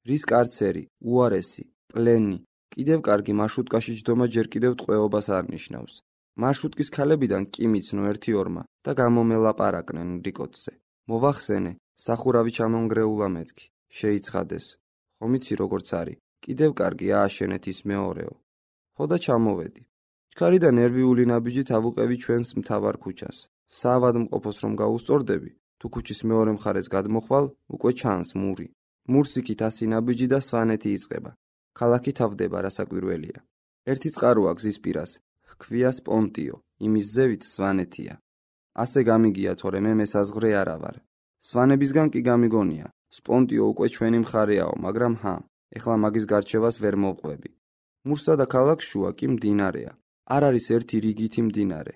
რის კარცერი, უარესი, პლენი. კიდევ კარგი მარშრუტკაში ჯდომა ჯერ კიდევ ტყვეობას არ ნიშნავს. მარშრუტკის ქალებიდან კი მიცნო 1-2 და გამომელაპარაკნენ რიკოთზე. მოვახსენე, სახურავი ჩამონგრეულა მეთქი. შეიცხადეს. ხომ იცი როგორც არის, კიდევ კარგი ააშენეთ ის მეორეო. ხოდა ჩამოვედი. ჩქარი და ნერვიული ნაბიჯით ავუყევი ჩვენს მთავარ ქუჩას. საავადმყოფოს რომ გაუსწორდები, თუ ქუჩის მეორე მხარეს გადმოხვალ, უკვე ჩანს მური. მურს იქით 100 ნაბიჯი და სვანეთი იწყება. ქალაქი თავდება, რასაკვირველია. ერთი წყაროა გზის პირას, ჰქვია სპონტიო, იმის ზევით სვანეთია. ასე გამიგია, თორე მე მესაზღვრე არა ვარ. სვანებისგან კი გამიგონია, სპონტიო უკვე ჩვენი მხარეაო, მაგრამ ეხლა მაგის გარჩევას ვერ მოვყვები. მურსა და ქალაქს შუა კი მდინარეა. არ არის ერთი რიგითი მდინარე.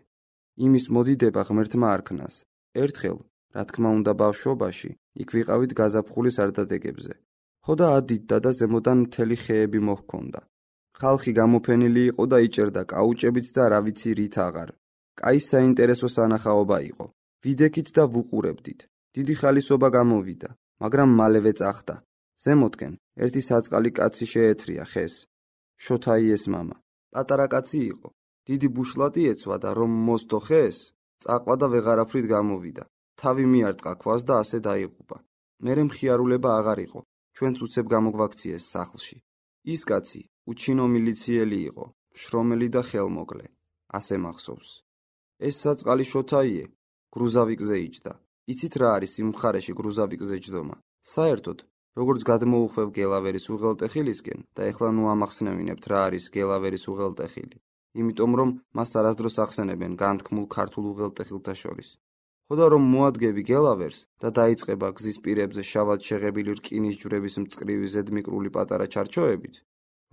იმის მოდიდება ღმერთმა არქნას. ერთხელ, რა თქმა უნდა ბავშვობაში, იქ ვიყავით გაზაფხულის არდადეგებზე. ხოდა ადიდდა და ზემოდან მთელი ხეები მოჰქონდა. ხალხი გამოფენილი იყო და იჭერდა კაუჭებით და რა ვიცი რით აღარ. კაი საინტერესო სანახაობა იყო. ვიდექით და ვუყურებდით. დიდი ხალისობა გამოვიდა, მაგრამ მალევე წახდა. ზემოთკენ ერთი საწყალი კაცი შეეთრია ხეს. შოთაიეს მამა. პატარა კაცი იყო. დიდი ბუშლატი ეცვა და რომ მოსდო ხეს, წაყვა და ვეღარაფრით გამოვიდა. თავი მიარტყა ქვას და ასე დაიღუპა. მერე მხიარულება აღარ იყო. ჩვენც უცებ გამოგვაქციეს სახლში. ის კაცი უჩინო მილიციელი იყო, შრომელი და ხელმოკლე. ასე მახსოვს. ეს საწყალი შოთაიე გრუზავიკზე იჯდა. იცით რა არის იმ მხარეში გრუზავიკზე ჯდომა? საერთოდ, როგორც გადმოუხვევ გელავერის უღელტეხილისკენ და ეხლა ნუ ამახსნევინებთ რა არის გელავერის უღელტეხილი. იმიტომ რომ მას არასდროს ახსენებენ განთქმულ ქართულ უღელტეხილთა შორის. ხოდა რომ მოადგები გელავერს და დაიწყება გზის პირებზე შავად შეღებილი რკინის ჯვრების მწკრივი ზედმიკრული პატარა ჩარჩოებით,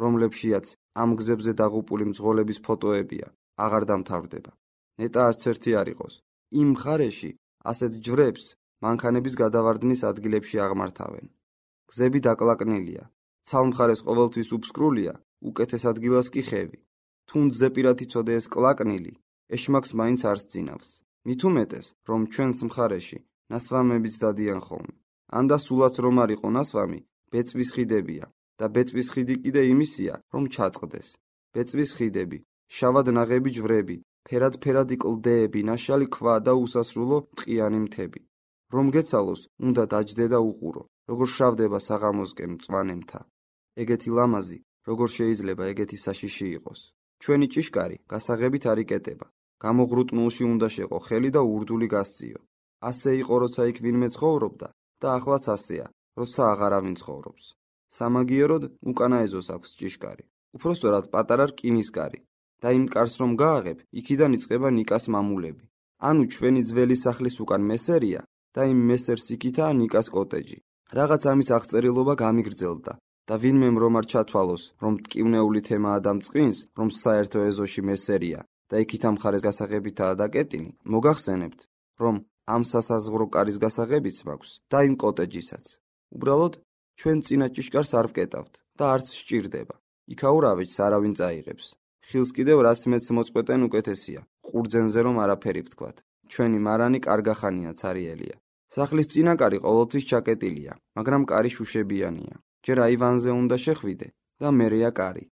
რომლებშიაც ამ გზებზე დაღუპული მძღოლების ფოტოებია, აღარ დამთავრდება. ნეტა არც ერთი არ იყოს. იმ მხარეში ასეთ ჯვრებს მანქანების გადავარდნის ადგილებში აღმართავენ. გზები დაკლაკნილია. ცალმხარეს ყოველთვის უფსკრულია, უკეთეს ადგილას კი ხევი. თუნდაც ზეპირად იცოდე ეს კლაკნილი, ეშმაკს მაინც არ სძინავს. მით უმეტეს, რომ ჩვენს მხარეში ნასვამებიც დადიან ხოლმე. ანდა სულაც რომ არ იყო ნასვამი, ბეწვის ხიდებია და ბეწვის ხიდი კიდე იმისია, რომ ჩაწყდეს. ბეწვის ხიდები, შავად ნაღები ჯვრები, ფერად-ფერადი კლდეები, ნაშალი ქვა და უსასრულო ტყიანი მთები. რომ გეცალოს, უნდა დაჯდე და უყურო, როგორ შავდება საღამოსკენ მწვანე მთა. ეგეთი ლამაზი, როგორ შეიძლება ეგეთი საშიში იყოს. ჩვენი ჭიშკარი გასაღებით არ იკეტება. გამოღრუტნულში უნდა შეყო ხელი და ურდული გასწიო. ასე იყო, როცა იქ ვინმე ცხოვრობდა და ახლაც ასეა, როცა აღარავინ ცხოვრობს. სამაგიეროდ უკანა ეზოს აქვს ჭიშკარი. უпроსტორად პატარა რკინისკარი. და იმ კარს რომ გააღებ, იქიდან იწყება ნიკას მამულები. ანუ ჩვენი ძველი სახლის უკან მესერია და იმ მესერს იქითაა ნიკას კოტეჯი. რაღაც ამის აღწერილობა გამიგრძელდა და ვინმემ რომ არ ჩათვალოს, რომ ტკივნეული თემაა და მწყინს, რომ საერთო ეზოში მესერია და იქით ამ მხარეს გასაღებითაა დაკეტინი, მოგახსენებთ, რომ ამ სასაზღვრო კარის გასაღებიც მაქვს და იმ კოტეჯისაც. უბრალოდ ჩვენ წინა ჭიშკარს არ ვკეტავთ და არც სჭირდება. იქაურავეჯს არავინ წაიღებს. ხილს კიდევ რაც მეც მოწყვეტენ უკეთესია, ყურძენზე რომ არაფერი ვთქვათ. ჩვენი მარანი კარგახანია ცარიელია. სახლის წინაკარი ყოველთვის ჩაკეტილია, მაგრამ კარი შუშებიანია. ჯერ აივანზე უნდა შეხვიდე და მერეა კარი.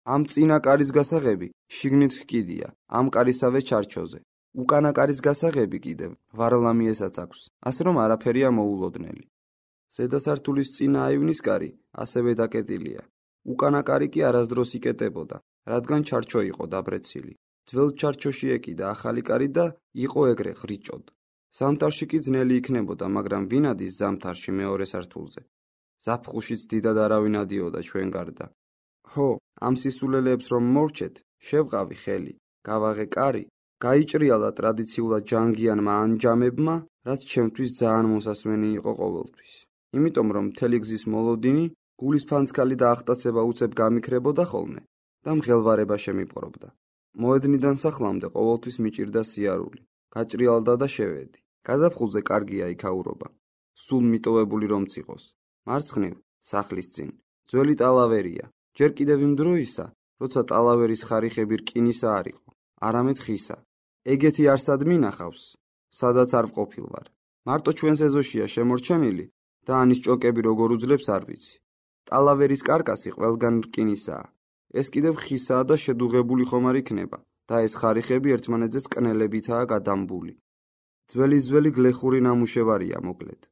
ამ წინა კარის გასაღები შიგნით ჰკიდია, ამ კარისავე ჩარჩოზე. უკანა კარის გასაღები კიდევ ვარლამიესაც აქვს, ასე რომ არაფერია მოულოდნელი. ზედა სართულის წინა აივნის კარი ასევე დაკეტილია. უკანა კარი კი არასდროს იკეტებოდა, რადგან ჩარჩო იყო დაბრეცილი. ძველ ჩარჩოში ეკიდა ახალი კარი და იყო ეგრე ხრიჭოდ. ზამთარში კი ძნელი იქნებოდა, მაგრამ ვინადის ზამთარში მეორე სართულზე. ზაფხულშიც დიდად არავინ ადიოდა ჩვენ გარდა. ჰო, ამ სისულელეებს რომ მორჩეთ, შევყავი ხელი, გავაღე კარი, გაიჭრიალა ტრადიციულად ჯანგიანმა ანჯამებმა, რაც ჩემთვის ძალიან მოსასმენი იყო ყოველთვის. იმიტომ რომ მთელი გზის მოლოდინი გულის ფანცქალი და ახტაცება უცებ გამიქრებოდა ხოლმე და მღელვარება შემიპყრობდა. მოედნიდან სახლამდე ყოველთვის მიჭირდა სიარული. გაჭრიალდა და შევედი. გაზაფხულზე კარგია იქაურობა. სულ მიტოვებული რომ წიყოს. მარცხნივ, სახლის წინ, ძველი ტალავერია. ჯერ კიდევ იმ დროისა, როცა ტალავერის ხარიხები რკინისა არ იყო, არამედ ხისა. ეგეთი არსად მინახავს, სადაც არ ვყოფილ ვარ. მარტო ჩვენს ეზოშია შემორჩენილი და ანის ჭოკები როგორ უძლებს არ ვიცი. ტალავერის კარკასი ყველგან რკინისაა. ეს კიდევ ხისაა და შედუღებული ხომ არ იქნება და ეს ხარიხები ერთმანეთზე კნელებითაა გადამბული. ძველი გლეხური ნამუშევარია მოკლედ.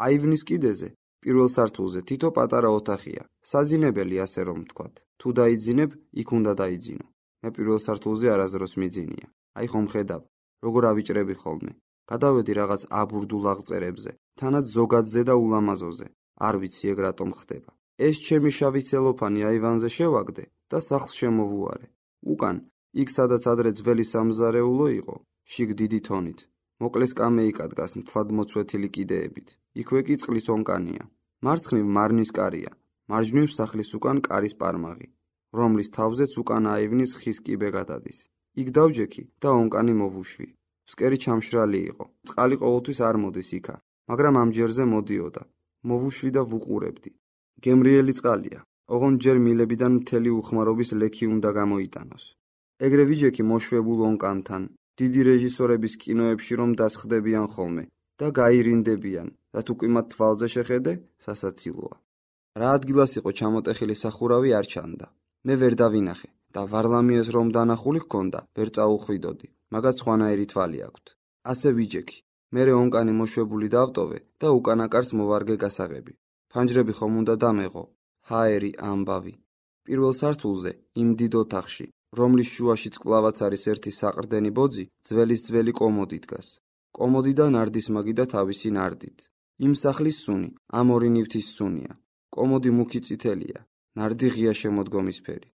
აივნის კიდეზე, პირველ სართულზე თითო პატარა ოთახია, საძინებელი ასე რომ ვთქვათ. თუ დაიძინებ, იქ უნდა დაიძინო. მე პირველ სართულზე არასდროს მიძინია. აი ხომ ხედავ, როგორ ავიჭრები ხოლმე. გადავედი რაღაც აბურდულ აღწერებზე, თანაც ზოგადზე და ულამაზოზე. არ ვიცი ეგ რატომ ხდება. ეს ჩემი შავი ცელოფანი აივანზე შევაგდე და სახლს შემოვუარე. უკან, იქ სადაც ადრე ძველი სამზარეულო იყო, შიგ დიდი თონით. მოკლე სკამეიკა დგას მთლად მოწვეთილი კიდეებით. იქვე კი წყლის ონკანია. მარცხნივ მარნის კარია, მარჯვნივ სახლის უკან კარის პარმაღი, რომლის თავზეც უკან აივნის ხის კიბე გადადის. იქ დავჯექი და ონკანი მოვუშვი. ფსკერი ჩამშრალი იყო. წყალი ყოველთვის არ მოდის იქა, მაგრამ ამ ჯერზე მოდიოდა. მოვუშვი და ვუყურებდი. გემრიელი წყალია. ოღონდ ჯერ მილებიდან მთელი უხმარობის ლექი უნდა გამოიტანოს. ეგრე ვიჯექი მოშვებულ ონკანთან. დიდი რეჟისორების კინოებში რომ დასხდებიან ხოლმე და გაირინდებიან და თუ კი მათ თვალზე შეხედე, სასაცილოა. რა ადგილას იყო ჩამოტეხილი სახურავი არ ჩანდა. მე ვერ დავინახე და ვარლამიეს რომ დანახული ჰქონდა, ვერ წაუხვიდოდი, მაგაც სხვანაირი თვალი აქვთ. ასე ვიჯექი. მერე ონკანი მოშვებული დავტოვე და უკანაკარს მოვარგე გასაღები. ფანჯრები ხომ უნდა დამეღო. ჰაერი ამბავი. პირველ სართულზე, იმ დიდ ოთახში, რომლის შუაშიც კლავაც არის ერთი საყრდენი ბოძი, ძველი კომოდი დგას. კომოდი და ნარდისმაგი და თავისი ნარდით. იმ სახლის სუნი, ამ ორი ნივთის სუნია. კომოდი მუქი წითელია, ნარდი ღია შემოდგომისფერი.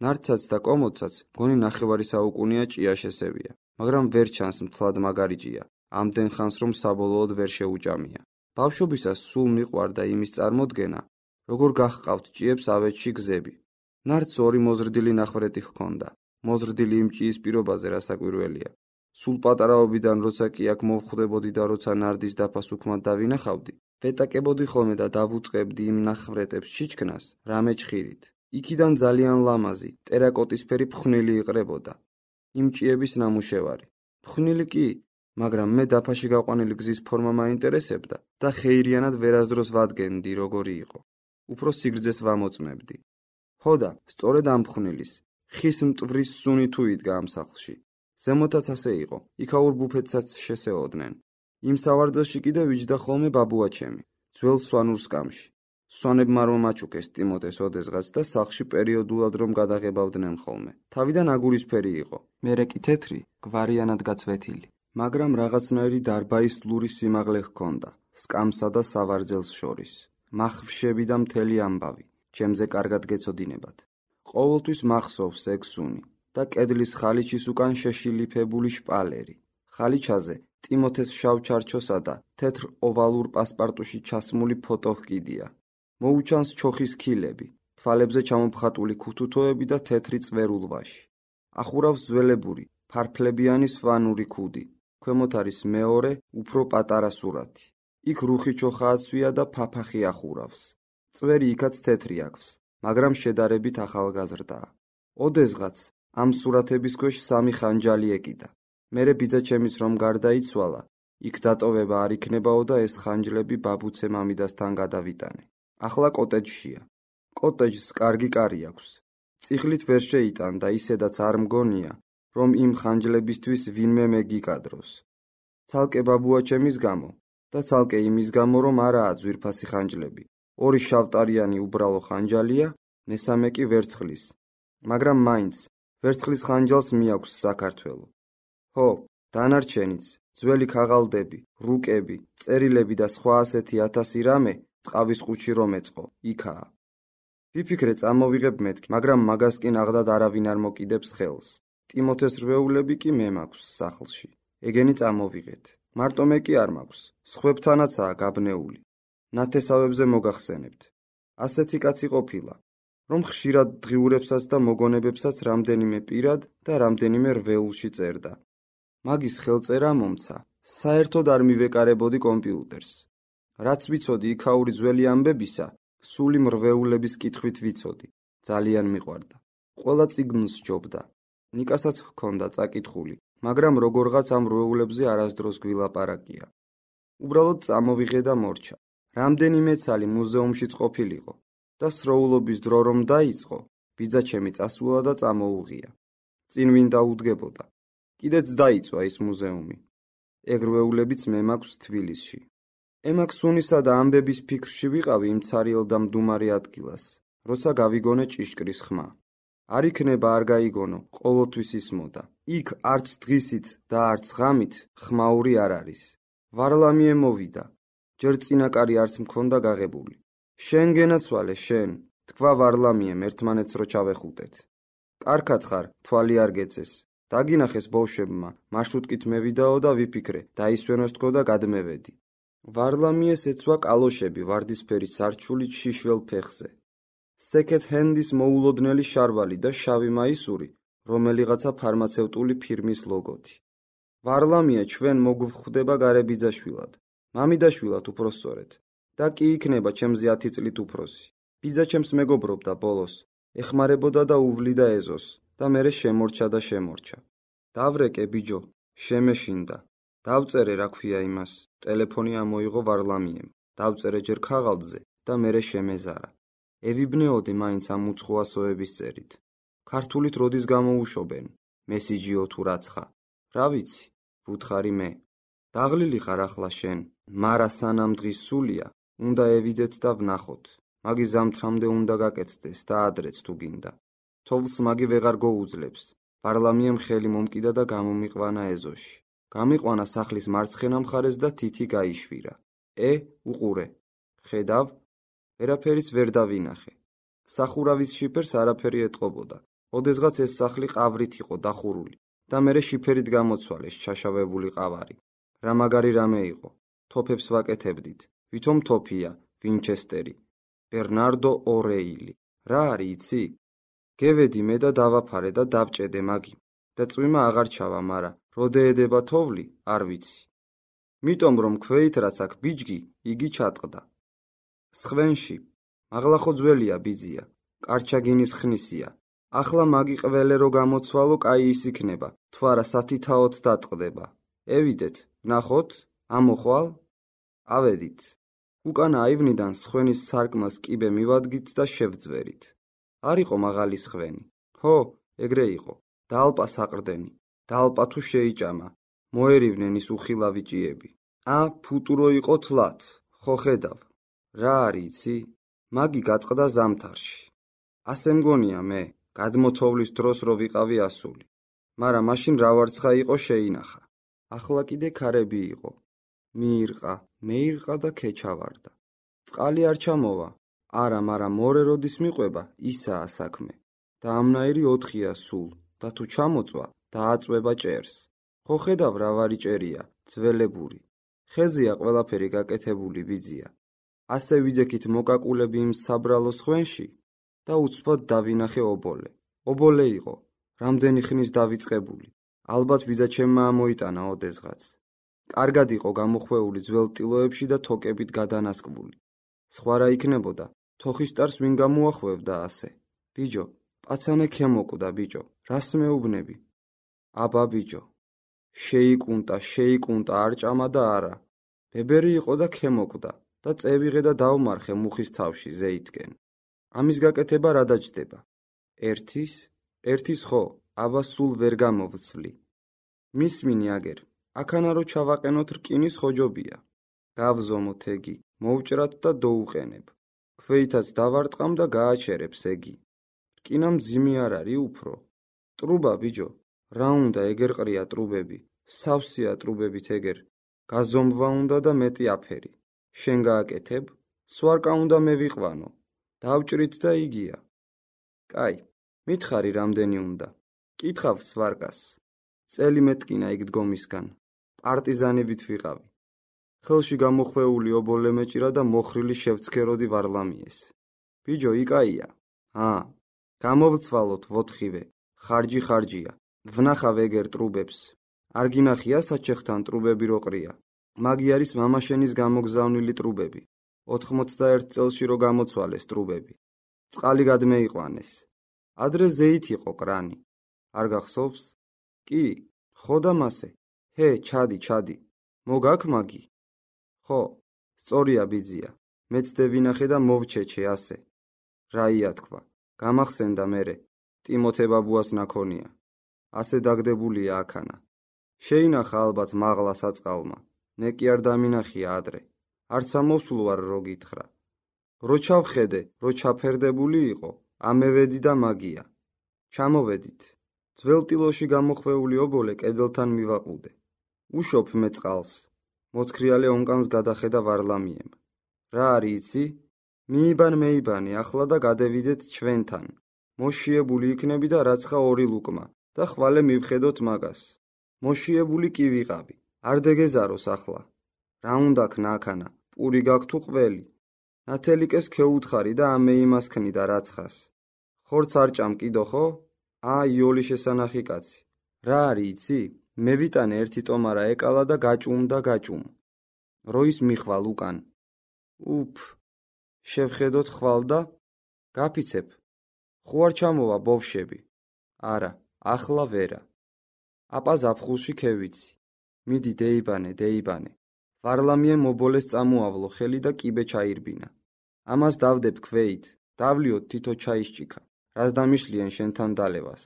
ნარდსაც და კომოდსაც მგონი ნახევარი საუკუნეა ჭია შესევია, მაგრამ ვერ ჩანს მთლად მაგარი ჭია, ამდენ ხანს რომ საბოლოოდ ვერ შეუჭამია. ბავშვობისას სულ მიყვარდა იმის წარმოდგენა, როგორ გახყავთ ჭიებს ავეჯში გზები. ნარდს ორი მოზრდილი ნახვრეთი ჰქონდა. მოზრდილი იმ ჭიის პირობაზე რასაკვირველია. სულ პატარაობიდან როცა კი აქ მოვხვდებოდი და როცა ნარდის დაფას უქმად დავინახავდი, ვეტაკებოდი ხოლმე და დავუწყებდი იმ ნახვრეთებს ჩიჩქნას რამე ჭხირით. იქიდან ძალიან ლამაზი, ტერაკოტისფერი ფხვნილი იყრებოდა. იმ ჭიების ნამუშევარი. ფხვნილი კი, მაგრამ მე დაფაში გაყვანილი გზის ფორმა მაინტერესებდა და ხეირიანად ვერასდროს ვადგენდი როგორი იყო. უფრო სიგრძეს ვამოწმებდი. ხოდა, სწორედ ამ ფხვნილის, ხის მტვრის სუნი თუ იდგა ამ სახლში. ზემოთაც ასე იყო, იქაურ ბუფეტსაც შესეოდნენ. იმ სავარძელში კიდე ვიჯდა ხოლმე ბაბუაჩემი, ძველ სვანურ სკამში. სვანებმა რომ აჩუქეს ტიმოთეს ოდესღაც და სახლში პერიოდულად რომ გადაღებავდნენ ხოლმე. თავიდან აგურისფერი იყო, მერე კი თეთრი, გვარიანად გაწვეთილი. მაგრამ რაღაცნაირი დარბაისლური სიმაღლე ჰქონდა, სკამსა და სავარძელს შორის. მახვშები და მთელი ამბავი, ჩემზე კარგად გეცოდინებათ. ყოველთვის მახსოვს ეგ სუნი და კედლის ხალიჩის უკან შეშილიფებული შპალერი. ხალიჩაზე ტიმოთეს შავ ჩარჩოსა და თეთრ ოვალურ პასპარტუში ჩასმული ფოტო ჰკიდია. მოუჩანს ჩოხის ქილები, თვალებზე ჩამოფხატული ქუთუთოები და თეთრი წვერულვაში. ახურავს ძველებური, ფარფლებიანი სვანური ქუდი. ქვემოთ არის მეორე, უფრო პატარა სურათი. იქ რუხი ჩოხააცვია და ფაფახი ახურავს. წვერი იქაც თეთრი აქვს, მაგრამ შედარებით ახალგაზრდაა. ოდესღაც ამ სურათების ქვეშ სამი ხანჯალი ეკიდა. მერე ბიძაჩემიც რომ გარდაიცვალა, იქ დატოვება არ იქნებაო და ეს ხანჯლები ბაბუცე მამიდასთან გადავიტანე. ახლა კოტეჯშია. კოტეჯს კარგი კარი აქვს. წიხლით ვერ შეიტან და ისედაც არ მგონია, რომ იმ ხანჯლებისთვის ვინმე მეგიკადროს. ცალკე ბაბუაჩემის გამო და ცალკე იმის გამო, რომ არაა ძვირფასი ხანჯლები. ორი შავტარიანი უბრალო ხანჯალია, მესამე კი ვერცხლის. მაგრამ მაინც ვერცხლის ხანჯალს მიაქვს საქართველო. ხო, დანარჩენიც, ძველი ქაღალდები, რუკები, წერილები და სხვა ასეთი 1000 რამე ტყავის ყუთში რომ ეწყო, იქაა. ვიფიქრე წამოვიღებ მეთქი, მაგრამ მაგას კი ნაღდად არავინ არ მოკიდებს ხელს. ტიმოთეს რვეულები კი მე მაქვს სახლში. ეგენი წამოვიღეთ. მარტო მე კი არ მაქვს, სხვებთანაცაა გაბნეული. ნათესავებზე მოგახსენებთ. ასეთი კაცი ყოფილა, რომ ხშირად დღიურებსაც და მოგონებებსაც რამდენიმე პირად და რამდენიმე რვეულში წერდა. მაგის ხელწერა მომცა, საერთოდ არ მივეკარებოდი კომპიუტერს. რაც ვიცოდი იქაური ძველი ამბებისა, სული მრვეულების კითხვით ვიცოდი. ძალიან მიყვარდა. ყველა წიგნს სჯობდა. ნიკასაც ჰქონდა წაკითხული, მაგრამ როგორღაც ამ რვეულებზე არასდროს გვილაპარაკია. უბრალოდ წამოვიღე და მორჩა. რამდენიმე ცალი მუზეუმშიც ყოფილიყო და სროულობის დრო რომ დაიწყო, ბიძაჩემი წასულა და წამოუღია. წინ ვინ დაუდგებოდა. კიდეც დაიწვა ის მუზეუმი. ეგ რვეულებიც მე მაქვს თბილისში. ემაქ სუნისა და ამბების ფიქრში ვიყავი იმ ცარიელ და მდუმარე ადგილას, როცა გავიგონე ჭიშკრის ხმა. არ იქნება არ გაიგონო, ყოველთვის ისმოდა. იქ არც დღისით და არც ღამით ხმაური არ არის. ვარლამიე მოვიდა. ჯერ წინაკარი არც მქონდა გაღებული. შენ გენაცვალე, შენ, თქვა ვარლამიემ ერთმანეთს რო ჩავეხუტეთ. კარგად ხარ, თვალი არ გეწეს. დაგინახეს ბავშვებმა, მარშრუტკით მევიდაო და ვიფიქრე, დაისვენოს თქო და გადმევედი. ვარლამიეს ეცვა კალოშები ვარდისფერი სარჩული შიშველ ფეხზე. სეკეთ ჰენდის მოულოდნელი შარვალი და შავი მაისური, რომელიღაცა ფარმაცევტული ფირმის ლოგოთი. ვარლამია ჩვენ მოგვხვდება გარებიძაშვილად, მამიდაშვილად უпроსწორეთ, და კი იქნება ჩემზე 10 წლით უფროსი. ბიძაჩემს მეგობრობდა ბოლოს, ეხმარებოდა და უვლიდა ეზოს და მერე შემორჩა და შემორჩა. დავრეკე ბიჯო, შემეშინდა. დავწერე რა ქვია იმას, ტელეფონი ამოიღო ვარლამიემ. დავწერე ჯერ ქაღალდზე და მერე შემეზარა. ევიბნეოდი მაინც ამ უცხოასოების წერით. ქართულით როდის გამოუშვენ, მესიჯიო თუ რაცხა. რა ვიცი, ვუთხარი მე. დაღლილი ხარ ახლა შენ, მარა სანამ დღის სულია, უნდა ევიდეთ და ვნახოთ. მაგი ზამთრამდე უნდა გაკეთდეს და ადრეც თუ გინდა. თოვლს მაგი ვეღარ გოუძლებს. ვარლამიემ ხელი მომკიდა და გამომიყვანა ეზოში. გამიყვანა სახლის მარცხენა მხარეს და თითი გაიშვირა. უყურე. ხედავ? ვერაფერიც ვერ დავინახე. სახურავის შიფერს არაფერი ეტყობოდა. ოდესღაც ეს სახლი ყავრით იყო დახურული და მერე შიფერით გამოცვალეს ჩაშავებული ყავარი. რა მაგარი რამე იყო. თოფებს ვაკეთებდით. ვითომ თოფია, ვინჩესტერი, ბერნარდო ორეილი. რა არის იცი? გევედი მე და დავაფარე და დავჭედე მაგი. და წვიმა აღარ ჩავა, მარა როდეედება თოვლი, არ ვიცი. მიტომ რომ ქვეით რაც აქ ბიჯგი, იგი ჩატყდა. სხვენში, მაღლა ხო ძველია ბიძია, კარჩაგინის ხნისია. ახლა მაგი ყველე რო გამოცვალო, კაი ის იქნება, თუ არა სათითაოდ დატყდება. ევიდეთ, ვნახოთ, ამოხვალ? ავედით. უკანა აივნიდან სხვენის სარკმელს კიბე მივადგით და შევძვერით. არ იყო მაღალი სხვენი. ჰო, ეგრე იყო. დალპა საყრდენი. დალპა თუ შეიჭამა. მოერივნენ ის უხილავი ჭიები. ფუტურო იყო თლათ, ხო ხედავ. რა არის იცი? მაგი გატყდა ზამთარში. ასე მგონია მე, გადმოთოვლის დროს რო ვიყავი ასული. მარა მაშინ რა ვარცხა იყო შეინახა. ახლა კიდე ქარები იყო. მეირყა და ქეჩავარდა. წყალი არ ჩამოვა. არა, მარა მორე როდის მიყვება, ისაა საქმე. და ამნაირი 4-ია სულ, და თუ ჩამოწვა, დააწვება ჭერს. ხო ხედავ რა ვარი ჭერია, ძველებური. ხეზია ყველაფერი გაკეთებული ბიძია. ასე ვიძექით მოკაკულები იმ საბრალო სხვენში და უცბად დავინახე ობოლე. ობოლე იყო, რამდენი ხნის დავიწყებული. ალბათ ბიძაჩემმა ამოიტანა ოდესღაც. კარგად იყო გამოხვეული ძველ ტილოებში და თოკებით გადანასკვული. სხვა რა იქნებოდა, თოხისტარს ვინ გამოახვევდა ასე. ბიჯო, პაცანე ქემოკვდა ბიჯო, რას მეუბნები? აბა ბიჯო. შეიკუნტა არ ჭამა და არა. ბებერი იყო და ქემოკვდა და წევიღე და დავმარხე მუხის თავში ზეითკენ. ამის გაკეთება რა დაჯდება? ერთის ხო, აბა სულ ვერ გამოვცვლი. მისმინი აგერ, აქანა რო ჩავაყენოთ რკინის ხოჯობია. გავზომოთ ეგი, მოვჭრათ და დოუყენებ. ქვეითაც დავარტყამ და გააჩერებს ეგი. რკინა მძიმი არ არის უფრო. ტრუბა ბიჯო, რა უნდა ეგერ ყრია ტრუბები, სავსეა ტრუბებით ეგერ. გაზომვა უნდა და მეტი აფერი. შენ გააკეთებ, სვარკა უნდა მევიყვანო. დავჭრით და იგია. კაი, მითხარი რამდენი უნდა. კითხავ სვარკას. წელი მეტკინა იქ დგომისგან. პარტიზანებით ვიყავი. ხელში გამოხვეული ობოლე მეჭირა და მოხრილი შევცქეროდი ვარლამიეს. ბიჯო, იკაია. გამოვცვალოთ ვოთხივე. ხარჯია. ვნახავ ეგერ ტრუბებს. არ გინახია საჩეხთან ტრუბები რო ყრია. მაგი არის მამაშენის გამოგზავნილი ტრუბები. 91 წელში რო გამოცვალეს ტრუბები. წყალი გადმეიყვანეს. ადრე ზეით იყო კრანი. არ გახსოვს? კი, ხო და მასე. ჰე, ჩადი. მოგაქ მაგი? ხო, სწორია ბიძია. მეც დევინახე და მოვჩეჩე ასე. რაია თქვა. გამახსენდა მერე. ტიმოთე ბაბუას ნაქონია. ასე დაგდებულია აქანა. შეინახა ალბათ მაღლა საწყალმა. ნე კი არ დამინახია ადრე. არც ამოსულ ვარ რო გითხრა. რო ჩავხედე, რო ჩაფერდებული იყო, ამევედი და მაგია. ჩამოვედით. ძველ ტილოში გამოხვეული ობოლე კედელთან მივაყუდე. უშოფ მე წყალს. მოთქრიალე ონკანს გადახედა ვარლამიემ. რა არის იცი? მეიბანი ახლა და გადევიდეთ ჩვენთან. მოშიებული იქნები და რაცხა 2 ლუკმა და ხვალე მივხედოთ მაგას. მოშიებული კი ვიყავი. არ დეგეზაროს ახლა. რა უნდა ქნა აქანა? პური გაქვს თუ ყველი? ნათელიკეს ქეუთხარი და ამეიმასქნი და რაცხას. ხორც არ ჭამ კიდო ხო? იოლი შესანახი კაცი. რა არის იცი? მე ვიტანე ერთი ტომარა ეკალა და გაჭუმ. როის მიხვალ უკან. შევხედოთ ხვალ და გაფიცებ. ხო არ ჩამოვა ბოვშები? არა, ახლა ვერა. აპა ზაფხულში ქევიცი. მიდი დეიბანე. ვარლამიემ ობოლეს წამოავლო ხელი და კიბე ჩაირბინა. ამას დავდებ ქვეით, დავლიოთ თითო ჩაისჭიქა. რას დამიშლიან შენთან დალევას?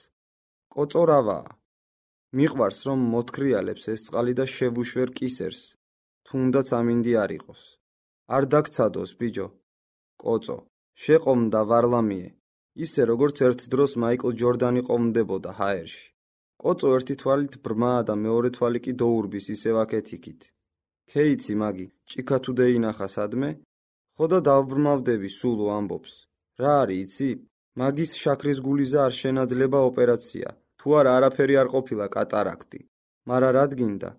კოწო რავაა. მიყვარს რომ მოთქრიალებს ეს წყალი და შევუშვერ კისერს. თუნდაც ამინდი არ იყოს. არ დაგცადოს ბიჯო. კოწო, შეყომდა ვარლამიე. ისე როგორც ერთ დროს მაიკლ ჯორდანი ყომდებოდა ჰაერში. კოწო ერთი თვალით ბრმაა და მეორე თვალი კი დოურბის ისევ აქეთ-იქით. ქეიცი მაგი, ჭიქა თუ დეინახა სადმე? ხო და დავბრმავდები სულო ამბობს. რა არის იცი? მაგის შაქრის გულიზა არ შენაძლება ოპერაცია. თუ არა არაფერი არ ყოფილა კატარაქტი. მარა რად გინდა?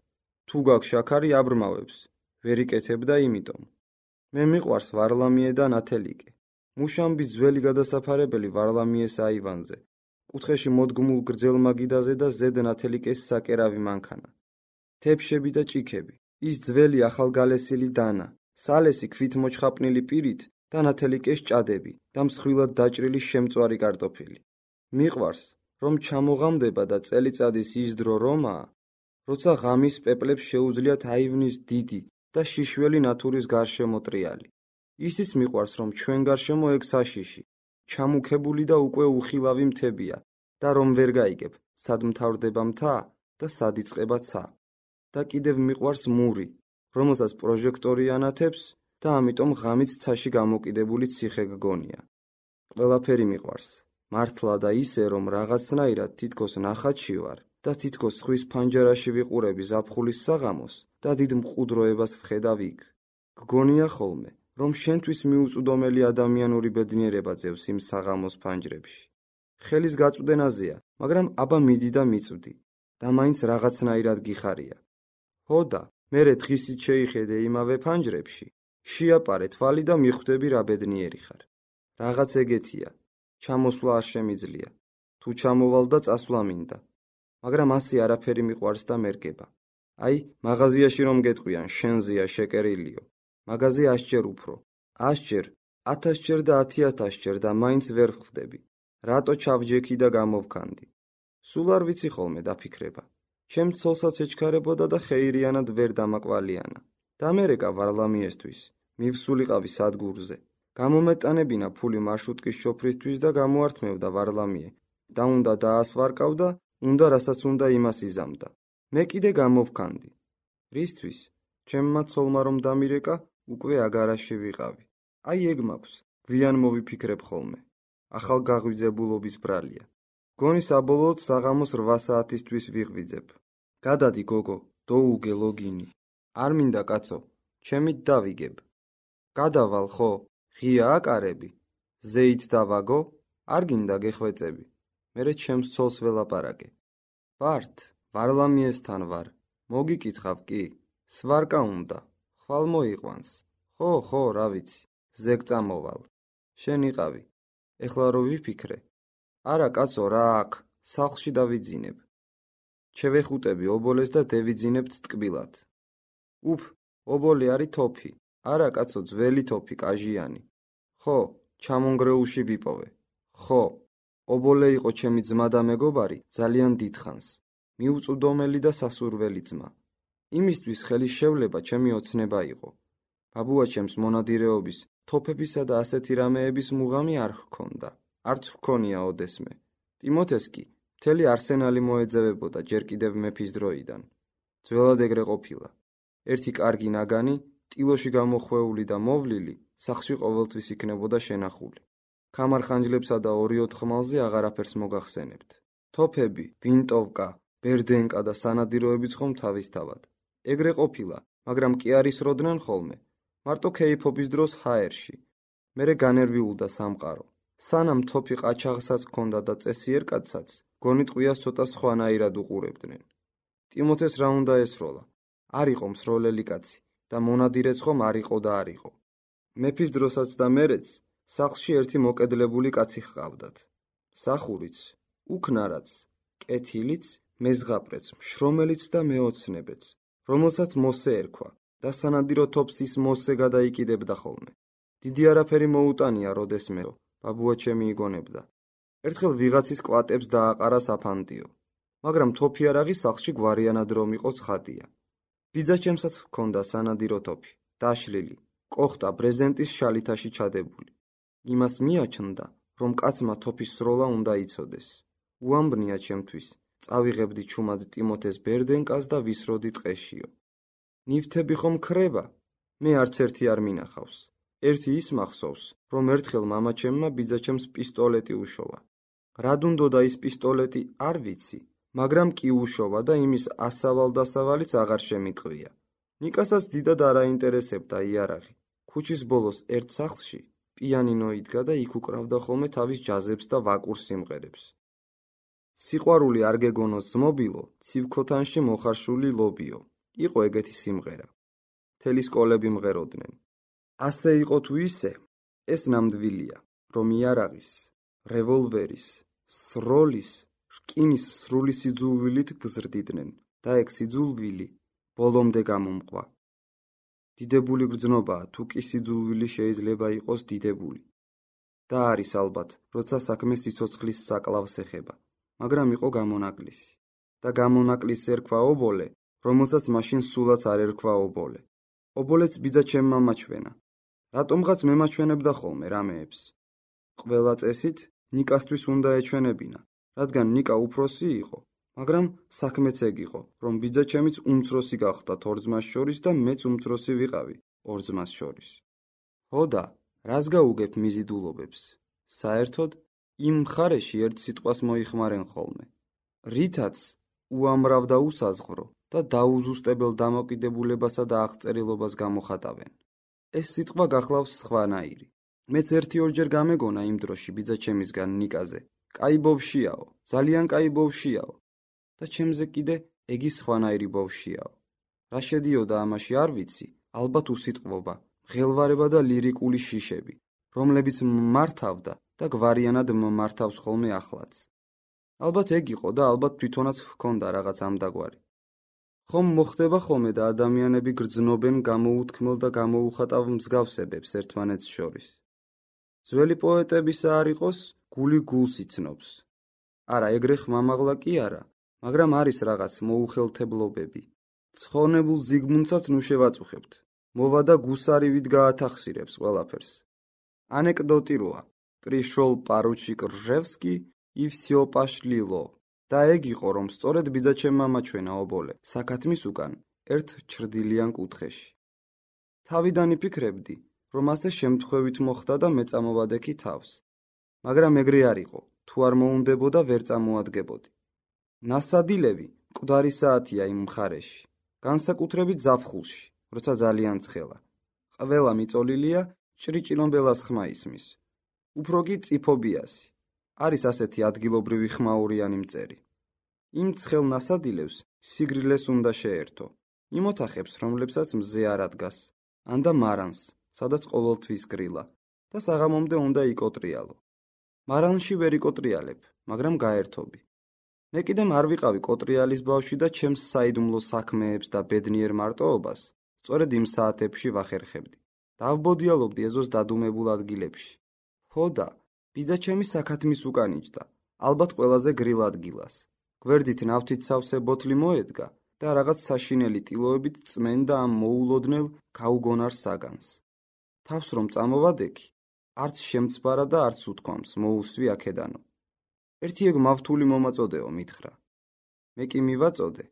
თუ გაქვს შაქარი აბრმავებს. ვერ იკეთებდა იმიტომ. მე მიყვარს ვარლამიე და ნათელიკე. მუშამბის ძველი გადასაფარებელი ვარლამიეს აივანზე. კუთხეში მოდგმულ გრძელ მაგიდაზე და ზედ ნათელიკეს საკერავი მანქანა. თეფშები და ჭიქები. ის ძველი ახალგალესილი დანა. სალესი ქვით მოჩხაპნილი პირით და ნათელიკეს ჭადები და მსხვილად დაჭრილი შემწვარი კარტოფილი. მიყვარს, რომ ჩამოღამდება და წელიწადის ის დრო რომაა, როცა ღამის პეპლებს შეუძლიათ აივნის დიდი და შიშველი ნათურის გარშემო ტრიალი. ისიც მიყვარს, რომ ჩვენ გარშემო ეგ საშიში, ჩამუქებული და უკვე უხილავი მთებია და რომ ვერ გაიგებ, სად მთავრდება მთა და სად იწყება ცა. და კიდევ მიყვარს მური, რომელსაც პროჟექტორი ანათებს და ამიტომ ღამით ცაში გამოკიდებული ციხე გგონია. ყველაფერი მიყვარს. მართლა და ისე, რომ რაღაცნაირად თითქოს ნახატში ვარ და თითქოს ხვის ფანჯარაში ვიყურები ზაფხულის საღამოს და დიდ მყუდროებას ვხედავ იქ. გგონია ხოლმე, რომ შენთვის მიუწვდომელი ადამიანური ბედნიერება ძევს იმ საღამოს ფანჯრებში. ხელის გაწვდენაზეა, მაგრამ აბა მიდი და მიწვდი და მაინც რაღაცნაირად გიხარია. ჰოდა, მერე დღისით შეიხედე იმავე ფანჯრებში, შეაპარე თვალი და მიხვდები რა ბედნიერი ხარ. რაღაც ეგეთია. ჩამოსვლა არ შემიძლია. თუ ჩამოვალ და წასვლა მინდა. მაგრამ ასე არაფერი მიყვარს და მერგება. მაღაზიაში რომ გეტყვიან, შენზეა შეკერილიო. მაღაზე 100 ჯერ უფრო. 100 ჯერ, 1000 ჯერ და 10,000 ჯერ და მაინც ვერ ხვდები. რატო ჩავჯექი და გამოვქანდი? სულ არ ვიცი ხოლმე დაფიქრება. ჩემ ცოლსაც ეჩქარებოდა და ხეირიანად ვერ დამაკვალიანა. დამერეკა ვარლამიესთვის. მივსულიყავი სადგურზე. გამომეტანებინა ფული მარშრუტკის შოფრისთვის და გამოართმევდა ვარლამიე. და უნდა დაასვარკავ და უნდა რასაც უნდა იმას იზამდა. მე კიდე გამოვქანდი. რისთვის? ჩემმა ცოლმა რომ დამირეკა, უკვე აგარაში ვიყავი. ეგ მაქვს, გვიან მოვიფიქრებ ხოლმე. ახალ გაღვიძებულობის ბრალია. გონი საბოლოოდ საღამოს 8 საათისთვის ვიღვიძებ. გადადი გოგო, დოუგე ლოგინი. არ მინდა კაცო, ჩემით დავიგებ. გადავალ ხო? ღია აკარები? ზეით დავაგო? არ გინდა გეხვეწები. მერე ჩემს ცოლს ველაპარაკე. ვართ, ვარლამიესთან ვარ. მოგიკითხავ კი? სვარკა უნდა. ხვალ მოიყვანს. ხო, რა ვიცი. ზეგ წამოვალ. შენ იყავი. ეხლა რო ვიფიქრე. არა კაცო, რა აქ, სახლში დავიძინებ. ჩევეხუტები ობოლეს და დევიძინებთ ტკბილად. უფ, ობოლი არის თოფი. არა კაცო, ძველი თოფი, კაჟიანი. ხო, ჩამონგრეულში ვიპოვე. ხო, ობოლე იყო ჩემი ძმა და მეგობარი ძალიან დიდხანს. მიუწვდომელი და სასურველი ძმა. იმისთვის ხელის შევლება ჩემი ოცნება იყო. ბაბუაჩემს მონადირეობის, თოფებისა და ასეთი რამეების მუღამი არ ჰქონდა. არც ჰქონია ოდესმე. ტიმოთეს კი მთელი არსენალი მოეძებებოდა ჯერ კიდევ მეფის დროიდან. ძველად ეგრე ყოფილა. ერთი კარგი ნაგანი, ტილოში გამოხვეული და მოვლილი, სახლში ყოველთვის იქნებოდა შენახული. ქამარხანჯლებსა და 2-4 ხმალზე აღარაფერს მოგახსენებთ. თოფები, ვინტოვკა, ბერდენკა და სანადიროებიც ხომ თავისთავად. ეგრე ყოფილა, მაგრამ კი არ ისროდნენ ხოლმე. მარტო ქეიფობის დროს ჰაერში. მერე განერვიულდა სამყარო. სანამ თოფი ყაჩაღსაც ჰქონდა და წესიერ კაცსაც, გონით ყვიას ცოტა სხვანაირად უყურებდნენ. ტიმოთეს რა უნდა ესროლა? არ იყო მსროლელი კაცი და მონადირეც ხომ არ იყო და არ იყო. მეფის დროსაც და მერეც სახლში ერთი მოკედლებული კაცი ჰყავდათ. მსახურიც, უქნარაც, კეთილიც, მეზღაპრეც, მშრომელიც და მეოცნებეც, რომელსაც მოსე ერქვა და სანადირო თოფს ის მოსე გადაიკიდებდა ხოლმე. დიდი არაფერი მოუტანია როდესმეო, ბაბუაჩემი იგონებდა. ერთხელ ვიღაცის კვატებს დააყარა საფანტიო, მაგრამ თოფი არაღი სახლში გვარიანად რომ იყო ცხადია. ბიძაჩემსაც ჰქონდა სანადირო თოფი, დაშლილი, კოხტა ბრეზენტის შალითაში ჩადებული. იმას მიაჩნდა, რომ კაცმა თოფის სროლა უნდა იცოდეს. უამბნია ჩემთვის, წავიღებდი ჩუმად ტიმოთეს ბერდენკას და ვისროდი ტყეშიო. ნივთები ხომ ქრება? მე არც ერთი არ მინახავს. ერთი ის მახსოვს, რომ ერთხელ მამაჩემმა ბიძაჩემს პისტოლეტი უშოვა. რად უნდოდა ის პისტოლეტი არ ვიცი, მაგრამ კი უშოვა და იმის ასავალ-დასავალიც აღარ შემიტყვია. ნიკასაც დიდად არ აინტერესებდა იარაღი. ქუჩის ბოლოს ერთ სახლში პიანინო იდგა და იქ უკრავდა ხოლმე თავის ჯაზებს და ვაკურ სიმღერებს. სიყვარული არ გეგონოს ზმობილო, ცივქოთანში მოხარშული ლობიო. იყო ეგეთი სიმღერა. მთელი სკოლები მღეროდნენ. ასე იყო თუ ისე, ეს ნამდვილია, რომ იარაღის, რევოლვერის, სროლის, რკინის სრული სიძულვილით გზრდიდნენ და ეგ სიძულვილი ბოლომდე გამომყვა. დიდებული გრძნობაა, თუ კი სიძულვილი შეიძლება იყოს დიდებული. და არის ალბათ, როცა საქმე სიცოცხლის საკლავს ეხება, მაგრამ იყო გამონაკლისი. და გამონაკლისს ერქვა ობოლე, რომელსაც მაშინ სულაც არ ერქვა ობოლე. ობოლეც ბიძაჩემმა მაჩვენა. რატომღაც მემაჩვენებდა ხოლმე რამეებს. ყველა წესით ნიკასთვის უნდა ეჩვენებინა, რადგან ნიკა უფროსი იყო, მაგრამ საქმეც ეგ იყო, რომ ბიძაჩემიც უმცროსი გახდათ ორ ძმას შორის და მეც უმცროსი ვიყავი ორ ძმას შორის. ჰოდა, რას გაუგებ მიზიდულობებს? საერთოდ, იმ მხარეში ერთ სიტყვას მოიხმარენ ხოლმე. რითაც უამრავ და უსაზღვრო და დაუზუსტებელ დამოკიდებულებასა და აღწერილობას გამოხატავენ. ეს სიტყვა გახლავს სხვანაირი. მეც 1-2 გამეგონა იმ დროში ბიძაჩემისგან ნიკაზე. კაი ბოვშიაო, ძალიან კაი ბოვშიაო. და ჩემზე კიდე ეგი სხვანაირი ბოვშიაო. რა შედიოდა ამაში არ ვიცი, ალბათ უსიტყვობა, მღელვარება და ლირიკული შიშები, რომლებიც მართავდა და გვარიანად მმართავს ხოლმე ახლაც. ალბათ ეგ იყო და ალბათ თვითონაც ჰქონდა რაღაც ამდაგვარი. ხომ მოხდება ხოლმე და ადამიანები გრძნობენ გამოუთქმელ და გამოუხატავ მსგავსებებს ერთმანეთს შორის. ძველი პოეტებისა არ იყოს, გული გულს იცნობს. არა, ეგრე ხმამაღლა კი არა, მაგრამ არის რაღაც მოუხელთებლობები. ცხონებულ ზიგმუნდსაც ნუ შევაწუხებთ. მოვა და გუსარივით გაათახსირებს ყველაფერს. ანეკდოტი როა, პრიშოლ პარუჩიკ რჟევსკი и всё пошлило. და ეგ იყო, რომ სწორედ ბიძაჩემმა მაჩვენა ობოლე, საქათმის უკან, ერთ ჩრდილიან კუთხეში. თავიდან იფიქრებდი, რომ ასე შემთხვევით მოხდა და მეწამოვადექი თავს. მაგრამ ეგრე არ იყო, თუ არ მოუნდებოდა ვერ წამოადგებოდი. ნასადილევი მკვდარი საათია იმ მხარეში, განსაკუთრებით ზაფხულში, როცა ძალიან ცხელა. ყველა მიწოლილია, ჭრიჭირომბელას ხმა ისმის. უფრო კი წიფობიასი. არის ასეთი ადგილობრივი ხმაურიანი მწერი. იმ ცხელ ნასადილევს სიგრილეს უნდა შეერთო. იმ ოთახებს, რომლებსაც მზე არ ადგას, ან და მარანს, სადაც ყოველთვის გრილა. და საღამომდე უნდა იკოტრიალო. მარანში ვერ იკოტრიალებ, მაგრამ გაერთობი. მე კიდემ არ ვიყავი კოტრიალის ბავშვი და ჩემს საიდუმლო საქმეებს და ბედნიერ მარტოობას სწორედ იმ საათებში ვახერხებდი. დავბოდიალობდი ეზოს დადუმებულ ადგილებში. ხოდა, ბიძა ჩემი საქათმის უკან იჯდა, ალბათ ყველაზე გრილ ადგილას. გვერდით ნავთით სავსე ბოთლი მოედგა და რაღაც საშინელი ტილოებით წმენდა ამ მოულოდნელ გაუგონარ საგანს. თავს რომ წამოვადექი, არც შემცბარა და არც უთქვამს, მოუსვი აქედანო. ერთი ეგ მავთული მომაწოდეო მითხრა. მე კი მივაწოდე,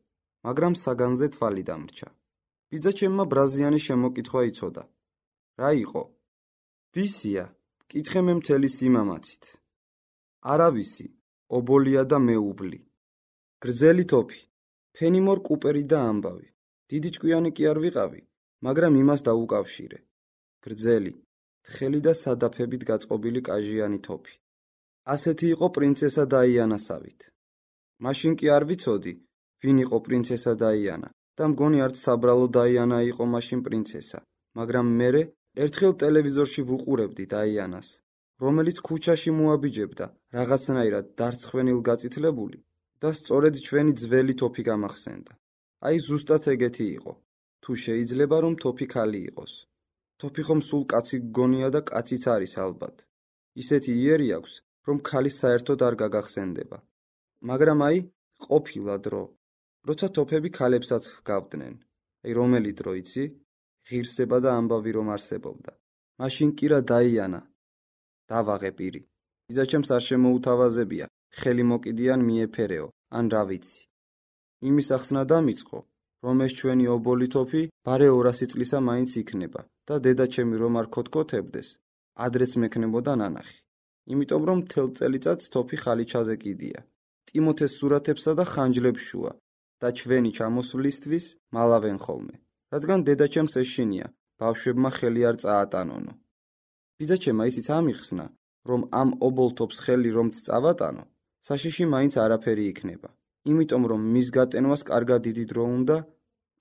მაგრამ საგანზე თვალი დამრჩა. ბიძა ჩემმა ბრაზიანი შემოკითხვა იცოდა. რა იყო? ვისია? კითხე მე მთელი სიმამაცით. არავისი, ობოლია და მეუვლი. გრძელი თოფი, ფენიმორ კუპერი და ამბავი. დიდი ჭკვიანი კი არ ვიყავი, მაგრამ იმას დაუკავშირე. გრძელი, თხელი და სადაფებით გაწყობილი კაჟიანი თოფი. ასეთი იყო პრინცესა დაიანასავით. მაშინ კი არ ვიცოდი, ვინ იყო პრინცესა დაიანა და მგონი არც საბრალო დაიანა იყო მაშინ პრინცესა, მაგრამ მერე ერთხელ ტელევიზორში ვუყურებდი დაიანას, რომელიც ქუჩაში მოაბიჯებდა რაღაცნაირად დარცხვენილ გაწითლებული და სწორედ ჩვენი ძველი თოფი გამახსენდა. აი ზუსტად ეგეთი იყო. თუ შეიძლება რომ თოფი ქალი იყოს. თოფი ხომ სულ კაცი გგონია და კაციც არის ალბათ. ისეთი იერი აქვს, რომ ქალი საერთოდ არ გაგახსენდება. მაგრამ აი, ყოფილა დრო, როცა თოფები ქალებსაც ჰგავდნენ. აი რომელი დრო იცი? ღირსება და ამბავი რომ არსებობდა. მაშინ კი რა დაიანა. დავაღე პირი. ბიძა ჩემს არ შემოუთავაზებია, ხელი მოკიდიან მიეფერეო, ან რა ვიცი. იმის ახსნა დამიწყო, რომ ეს ჩვენი ობოლი თოფი ბარე 200 წლისა მაინც იქნება და დედა ჩემი რომ არ ქოთქოთებდეს, ადრეც მექნებოდა ნანახი. იმიტომ რომ მთელ წელიწადს თოფი ხალიჩაზე კიდია. ტიმოთეს სურათებსა და ხანჯლებს შუა და ჩვენი ჩამოსვლისთვის მალავენ ხოლმე. რადგან დედა ჩემს ეშინია, ბავშვებმა ხელი არ წაატანონო. ბიძა ჩემმა ისიც ამიხსნა, რომ ამ ობოლ თოფს ხელი რომც წავატანო, საშიში მაინც არაფერი იქნება. იმიტომ რომ მის გატენვას კარგად დიდი დრო უნდა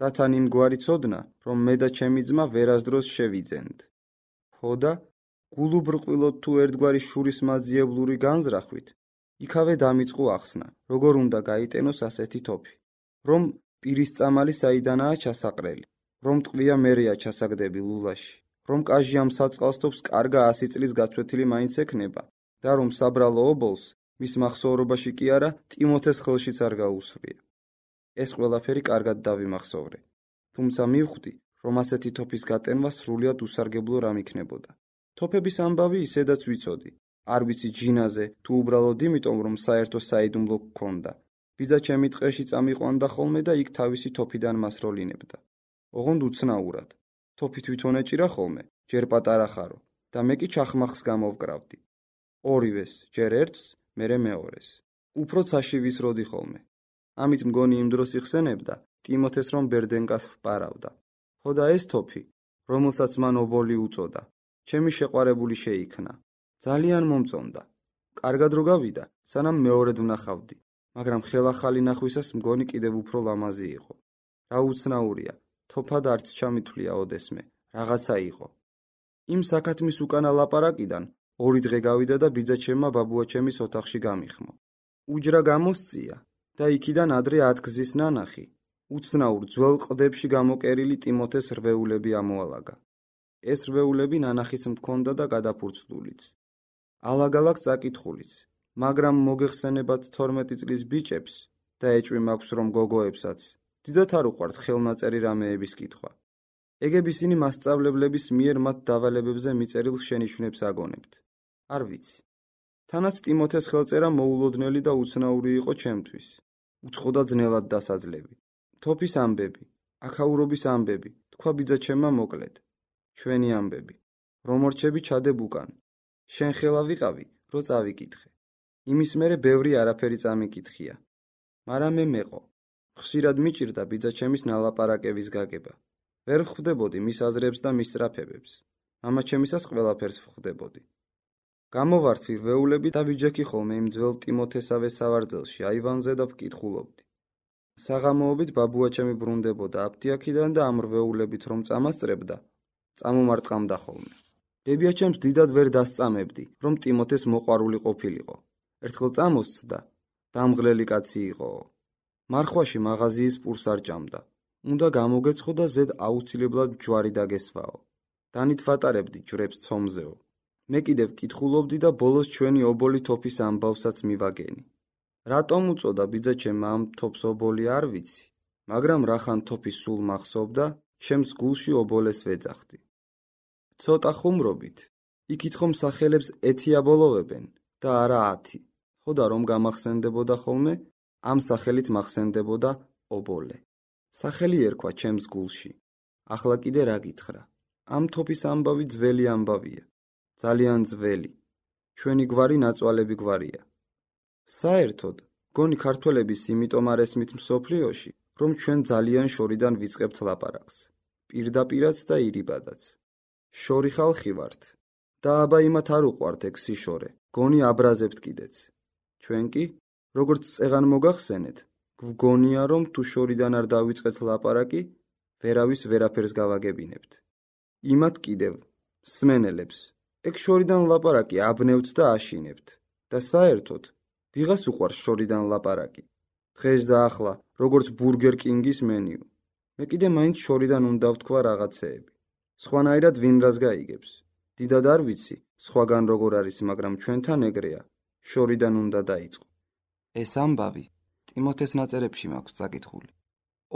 და თან იმგვარი ცოდნა, რომ მე და ჩემი ძმა ვერასდროს შევიძენთ. ხოდა, გულუბრყვილოდ თუ ერთგვარი შურის მაძიებლური განზრახვით, იქავე დამიწყო ახსნა, როგორ უნდა გაიტენოს ასეთი თოფი. რომ პირის წამალი საიდანაა ჩასაყრელი, რომ ტყვია მერეა ჩასაგდები ლულაში, რომ კაჟი ამ საწყალს კარგა 100 წლის გაცვეთილი მაინც ექნება და რომ საბრალო ობოლს მის მახსოვრობაში კი არა, ტიმოთეს ხელშიც არ გაუსვრია. ეს ყველაფერი კარგად დავიმახსოვრე. თუმცა მივხვდი, რომ ასეთი თოფის გატენვა სრულიად უსარგებლო რამ იქნებოდა. თოფების ამბავი ისედაც ვიცოდი. არ ვიცი ჯინაზე, თუ უბრალოდ იმიტომ, რომ საერთო საიდუმლო გქონდა. ბიძა ჩემი ტყეში წამიყვანდა ხოლმე და იქ თავისი თოფიდან მასროლინებდა. ოღონდ უცნაურად. თოფი თვითონ ეჭირა ხოლმე, ჯერ პატარა ხარო და მე კი ჩახმახს გამოვკრავდი. ორივეს, ჯერ ერთს, მერე მეორეს. უფრო ცაში ვისროდი ხოლმე. ამით მგონი იმ დროს იხსენებდა ტიმოთეს რომ ბერდენკას ვპარავდა. ხოდა ეს თოფი, რომელსაც მან ობოლი უწოდა, ჩემი შეყვარებული შეიქნა. ძალიან მომწონდა. კარგად რო გავიდა, სანამ მეორედ ვნახავდი, მაგრამ ხელახალი ნახვისას მგონი კიდევ უფრო ლამაზი იყო. რა უცნაურია, თოფად არც ჩამითვლია ოდესმე, რაღაცა იყო. იმ საქათმის უკანა ლაპარაკიდან 2 დღე გავიდა და ბიძა ჩემმა ბაბუაჩემის ოთახში გამიხმო. უჯრა გამოსწია და იქიდან ადრე 10 გზის ნანახი. უცნაურ ძველ ყდებში გამოკერილი ტიმოთეს რვეულები ამოალაგა. ეს რვეულები ნანახიც მქონდა და გადაფურცლულიც. ალაგ-ალაგ წაკითხულიც, მაგრამ მოგეხსენებათ 12 წლის ბიჭებს და ეჭვი მაქვს რომ გოგოებსაც, დიდათ არ უყვართ ხელნაწერი რამეების კითხვა. ეგებ ისინი მასწავლებლების მიერ მათ დავალებებზე მიწერილ შენიშვნებს აგონებთ. არ ვიცი. თანაც ტიმოთეს ხელწერა მოულოდნელი და უცნაური იყო ჩემთვის. უცხოდა ძნელად დასაძლევი. თოფის ამბები, აქაურობის ამბები, თქვა ბიძა ჩემმა მოკლედ. ჩვენი ამბები. რომ ორჩები ჩადებ უკან. შენ ხელა ვიყავი, რო წავიკითხე. იმის მერე ბევრი არაფერი წამიკითხია. მაგრამ მე მეყო. ხშირად მიჭირდა ბიძა ჩემის ნალაპარაკების გაგება. ვერ ვხვდებოდი მის აზრებს და მის სწრაფებებს. მამა ჩემისას ყველაფერს ვხვდებოდი. გამოვართვი რვეულები და ვიჯექი ხოლმე იმ ძველ ტიმოთესავე სავარძელში აივანზე და ვკითხულობდი. საღამოობით ბაბუაჩემი ბრუნდებოდა აფთიაქიდან და ამ რვეულებით რომ წამასწრებდა, წამომარტყამდა ხოლმე. ბებიაჩემს დიდად ვერ დასწამებდი, რომ ტიმოთეს მოყვარული ყოფილიყო. ერთხელ წამოსცდა, დამღლელი კაცი იყო. მარხვაში მაღაზიის პურს არ ჭამდა. უნდა გამოგეცხო და ზედ აუცილებლად ჯვარი დაგესვაო. დანით ვატარებდი ჯვრებს ცომზეო. მე კიდევ კითხულობდი და ბოლოს ჩვენი ობოლი თოფის ამბავსაც მივაგენი. რატომ უწოდა ბიძაჩემ ამ თოფს ობოლი არ ვიცი, მაგრამ რახან თოფის სულ მახსოვდა, ჩემს გულში ობოლეს ვეძახდი. ცოტა ხუმრობით, იქით ხომ სახელებს ეთიაბოლოვებენ და არა 10. ხოდა რომ გამახსენდებოდა ხოლმე, ამ სახელით მახსენდებოდა ობოლე. სახელი ერქვა ჩემს გულში. ახლა კიდე რა გითხრა? ამ თოფის ამბავი ძველი ამბავია. ძალიან ძველი. ჩვენი გვარი ნაწვალები გვარია. საერთოდ, გონი ქართველების იმიტომ არ ესმით მსოფლიოში, რომ ჩვენ ძალიან შორიდან ვიწყებთ ლაპარაკს. პირდაპირაც და ირიბადაც. შორი ხალხი ვართ. და აბა იმათ არ უყვართ ეგ სიშორე. გონი აბრაზებთ კიდეც. ჩვენ კი, როგორც წეღან მოგახსენეთ, გვგონია რომ თუ შორიდან არ დავიწყეთ ლაპარაკი, ვერავის ვერაფერს გავაგებინებთ. იმათ კიდევ, სმენელებს, ეგ შორიდან ლაპარაკი აბნევთ და აშინებთ. და საერთოდ, ვიღას უყვარს შორიდან ლაპარაკი. დღეს და ახლა, როგორც ბურგერ კინგის მენიუ. მე კიდე მაინც შორიდან უნდა ვთქვა რაღაცეები. სხვანაირად ვინ რას გაიგებს. დიდად არ ვიცი, სხვაგან როგორ არის, მაგრამ ჩვენთან ეგრეა. შორიდან უნდა დაიწყო. ეს ამბავი ტიმოთეს ნაწერებში მაქვს წაკითხული.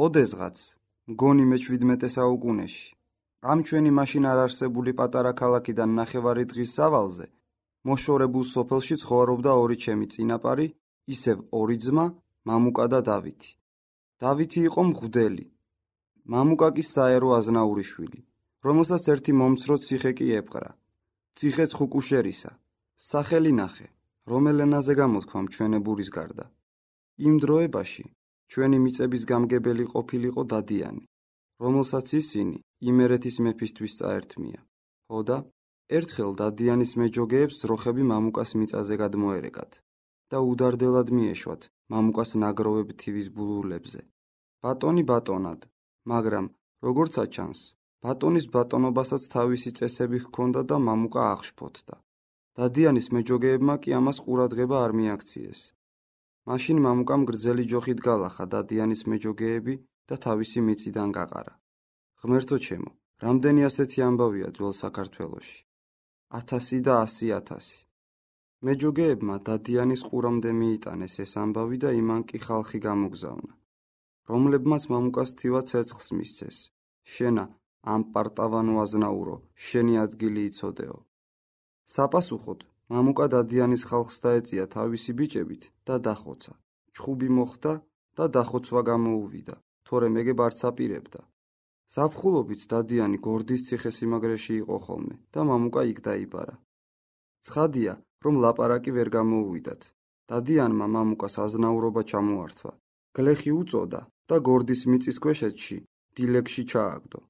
ოდესღაც, მგონი მე-17 საუკუნეში, ამ ჩვენი მაშინ არ არსებული პატარა ქალაქიდან ნახევარი დღის სავალზე, მოშორებულ სოფელში ცხოვრობდა ორი ჩემი წინაპარი, ისევ ორი ძმა, მამუკა და დავითი. დავითი იყო მღვდელი. მამუკა კი საერო აზნაური შვილი, რომელსაც ერთი მომცრო ციხე კი ეპყრა. ციხეც ხუკუშერისა. სახელი ნახე, რომელ ენაზე გამოთქვამ ჩვენებურის გარდა. იმ დროებაში ჩვენი მიწების გამგებელი ყოფილიყო დადიანი, რომელსაც ისინი იმერეთის მეფისთვის წაერთმია. ხოდა, ერთხელ დადიანის მეჯოგეებს ძროხები მამუკას მიწაზე გადმოერეკათ და უდარდელად მიეშვათ მამუკას ნაგროვებ თივის ბულულებზე. ბატონი ბატონად, მაგრამ, როგორც აჩანს, ბატონის ბატონობასაც თავისი წესები ჰქონდა და მამუკა აღშფოთდა. დადიანის მეჯოგეებმა კი ამას ყურადღება არ მიაქციეს. მაშინ მამუკამ გრძელი ჯოხით გალახა დადიანის მეჯოგეები და თავისი მიწიდან გაყარა. ღმერთო ჩემო, რამდენი ასეთი ამბავია ძველ საქართველოში. 1000 და 100,000. მეჯოგეებმა დადიანის ყურამდე მიიტანეს ეს ამბავი და იმან კი ხალხი გამოგზავნა, რომლებმაც მამუკას თივა ცერცხს მისცეს. შენა, ამ პარტავანო აზნაურო, შენი ადგილი იცოდეო. საპასუხოდ, მამუკა დადიანის ხალხს დაეწია თავისი ბიჭებით და დახოცა. ჩხუბი მოხდა და დახოცვა გამოუვიდა, თორემ ეგებ არც აპირებდა. ზაფხულობით დადიანი გორდის ციხესიმაგრეში იყო ხოლმე და მამუკა იქ დაიბარა. ცხადია, რომ ლაპარაკი ვერ გამოუვიდათ. დადიანმა მამუკას აზნაურობა ჩამოართვა. გლეხი უწოდა და გორდის მიწის ქვეშეთში, დილეგში ჩააგდო.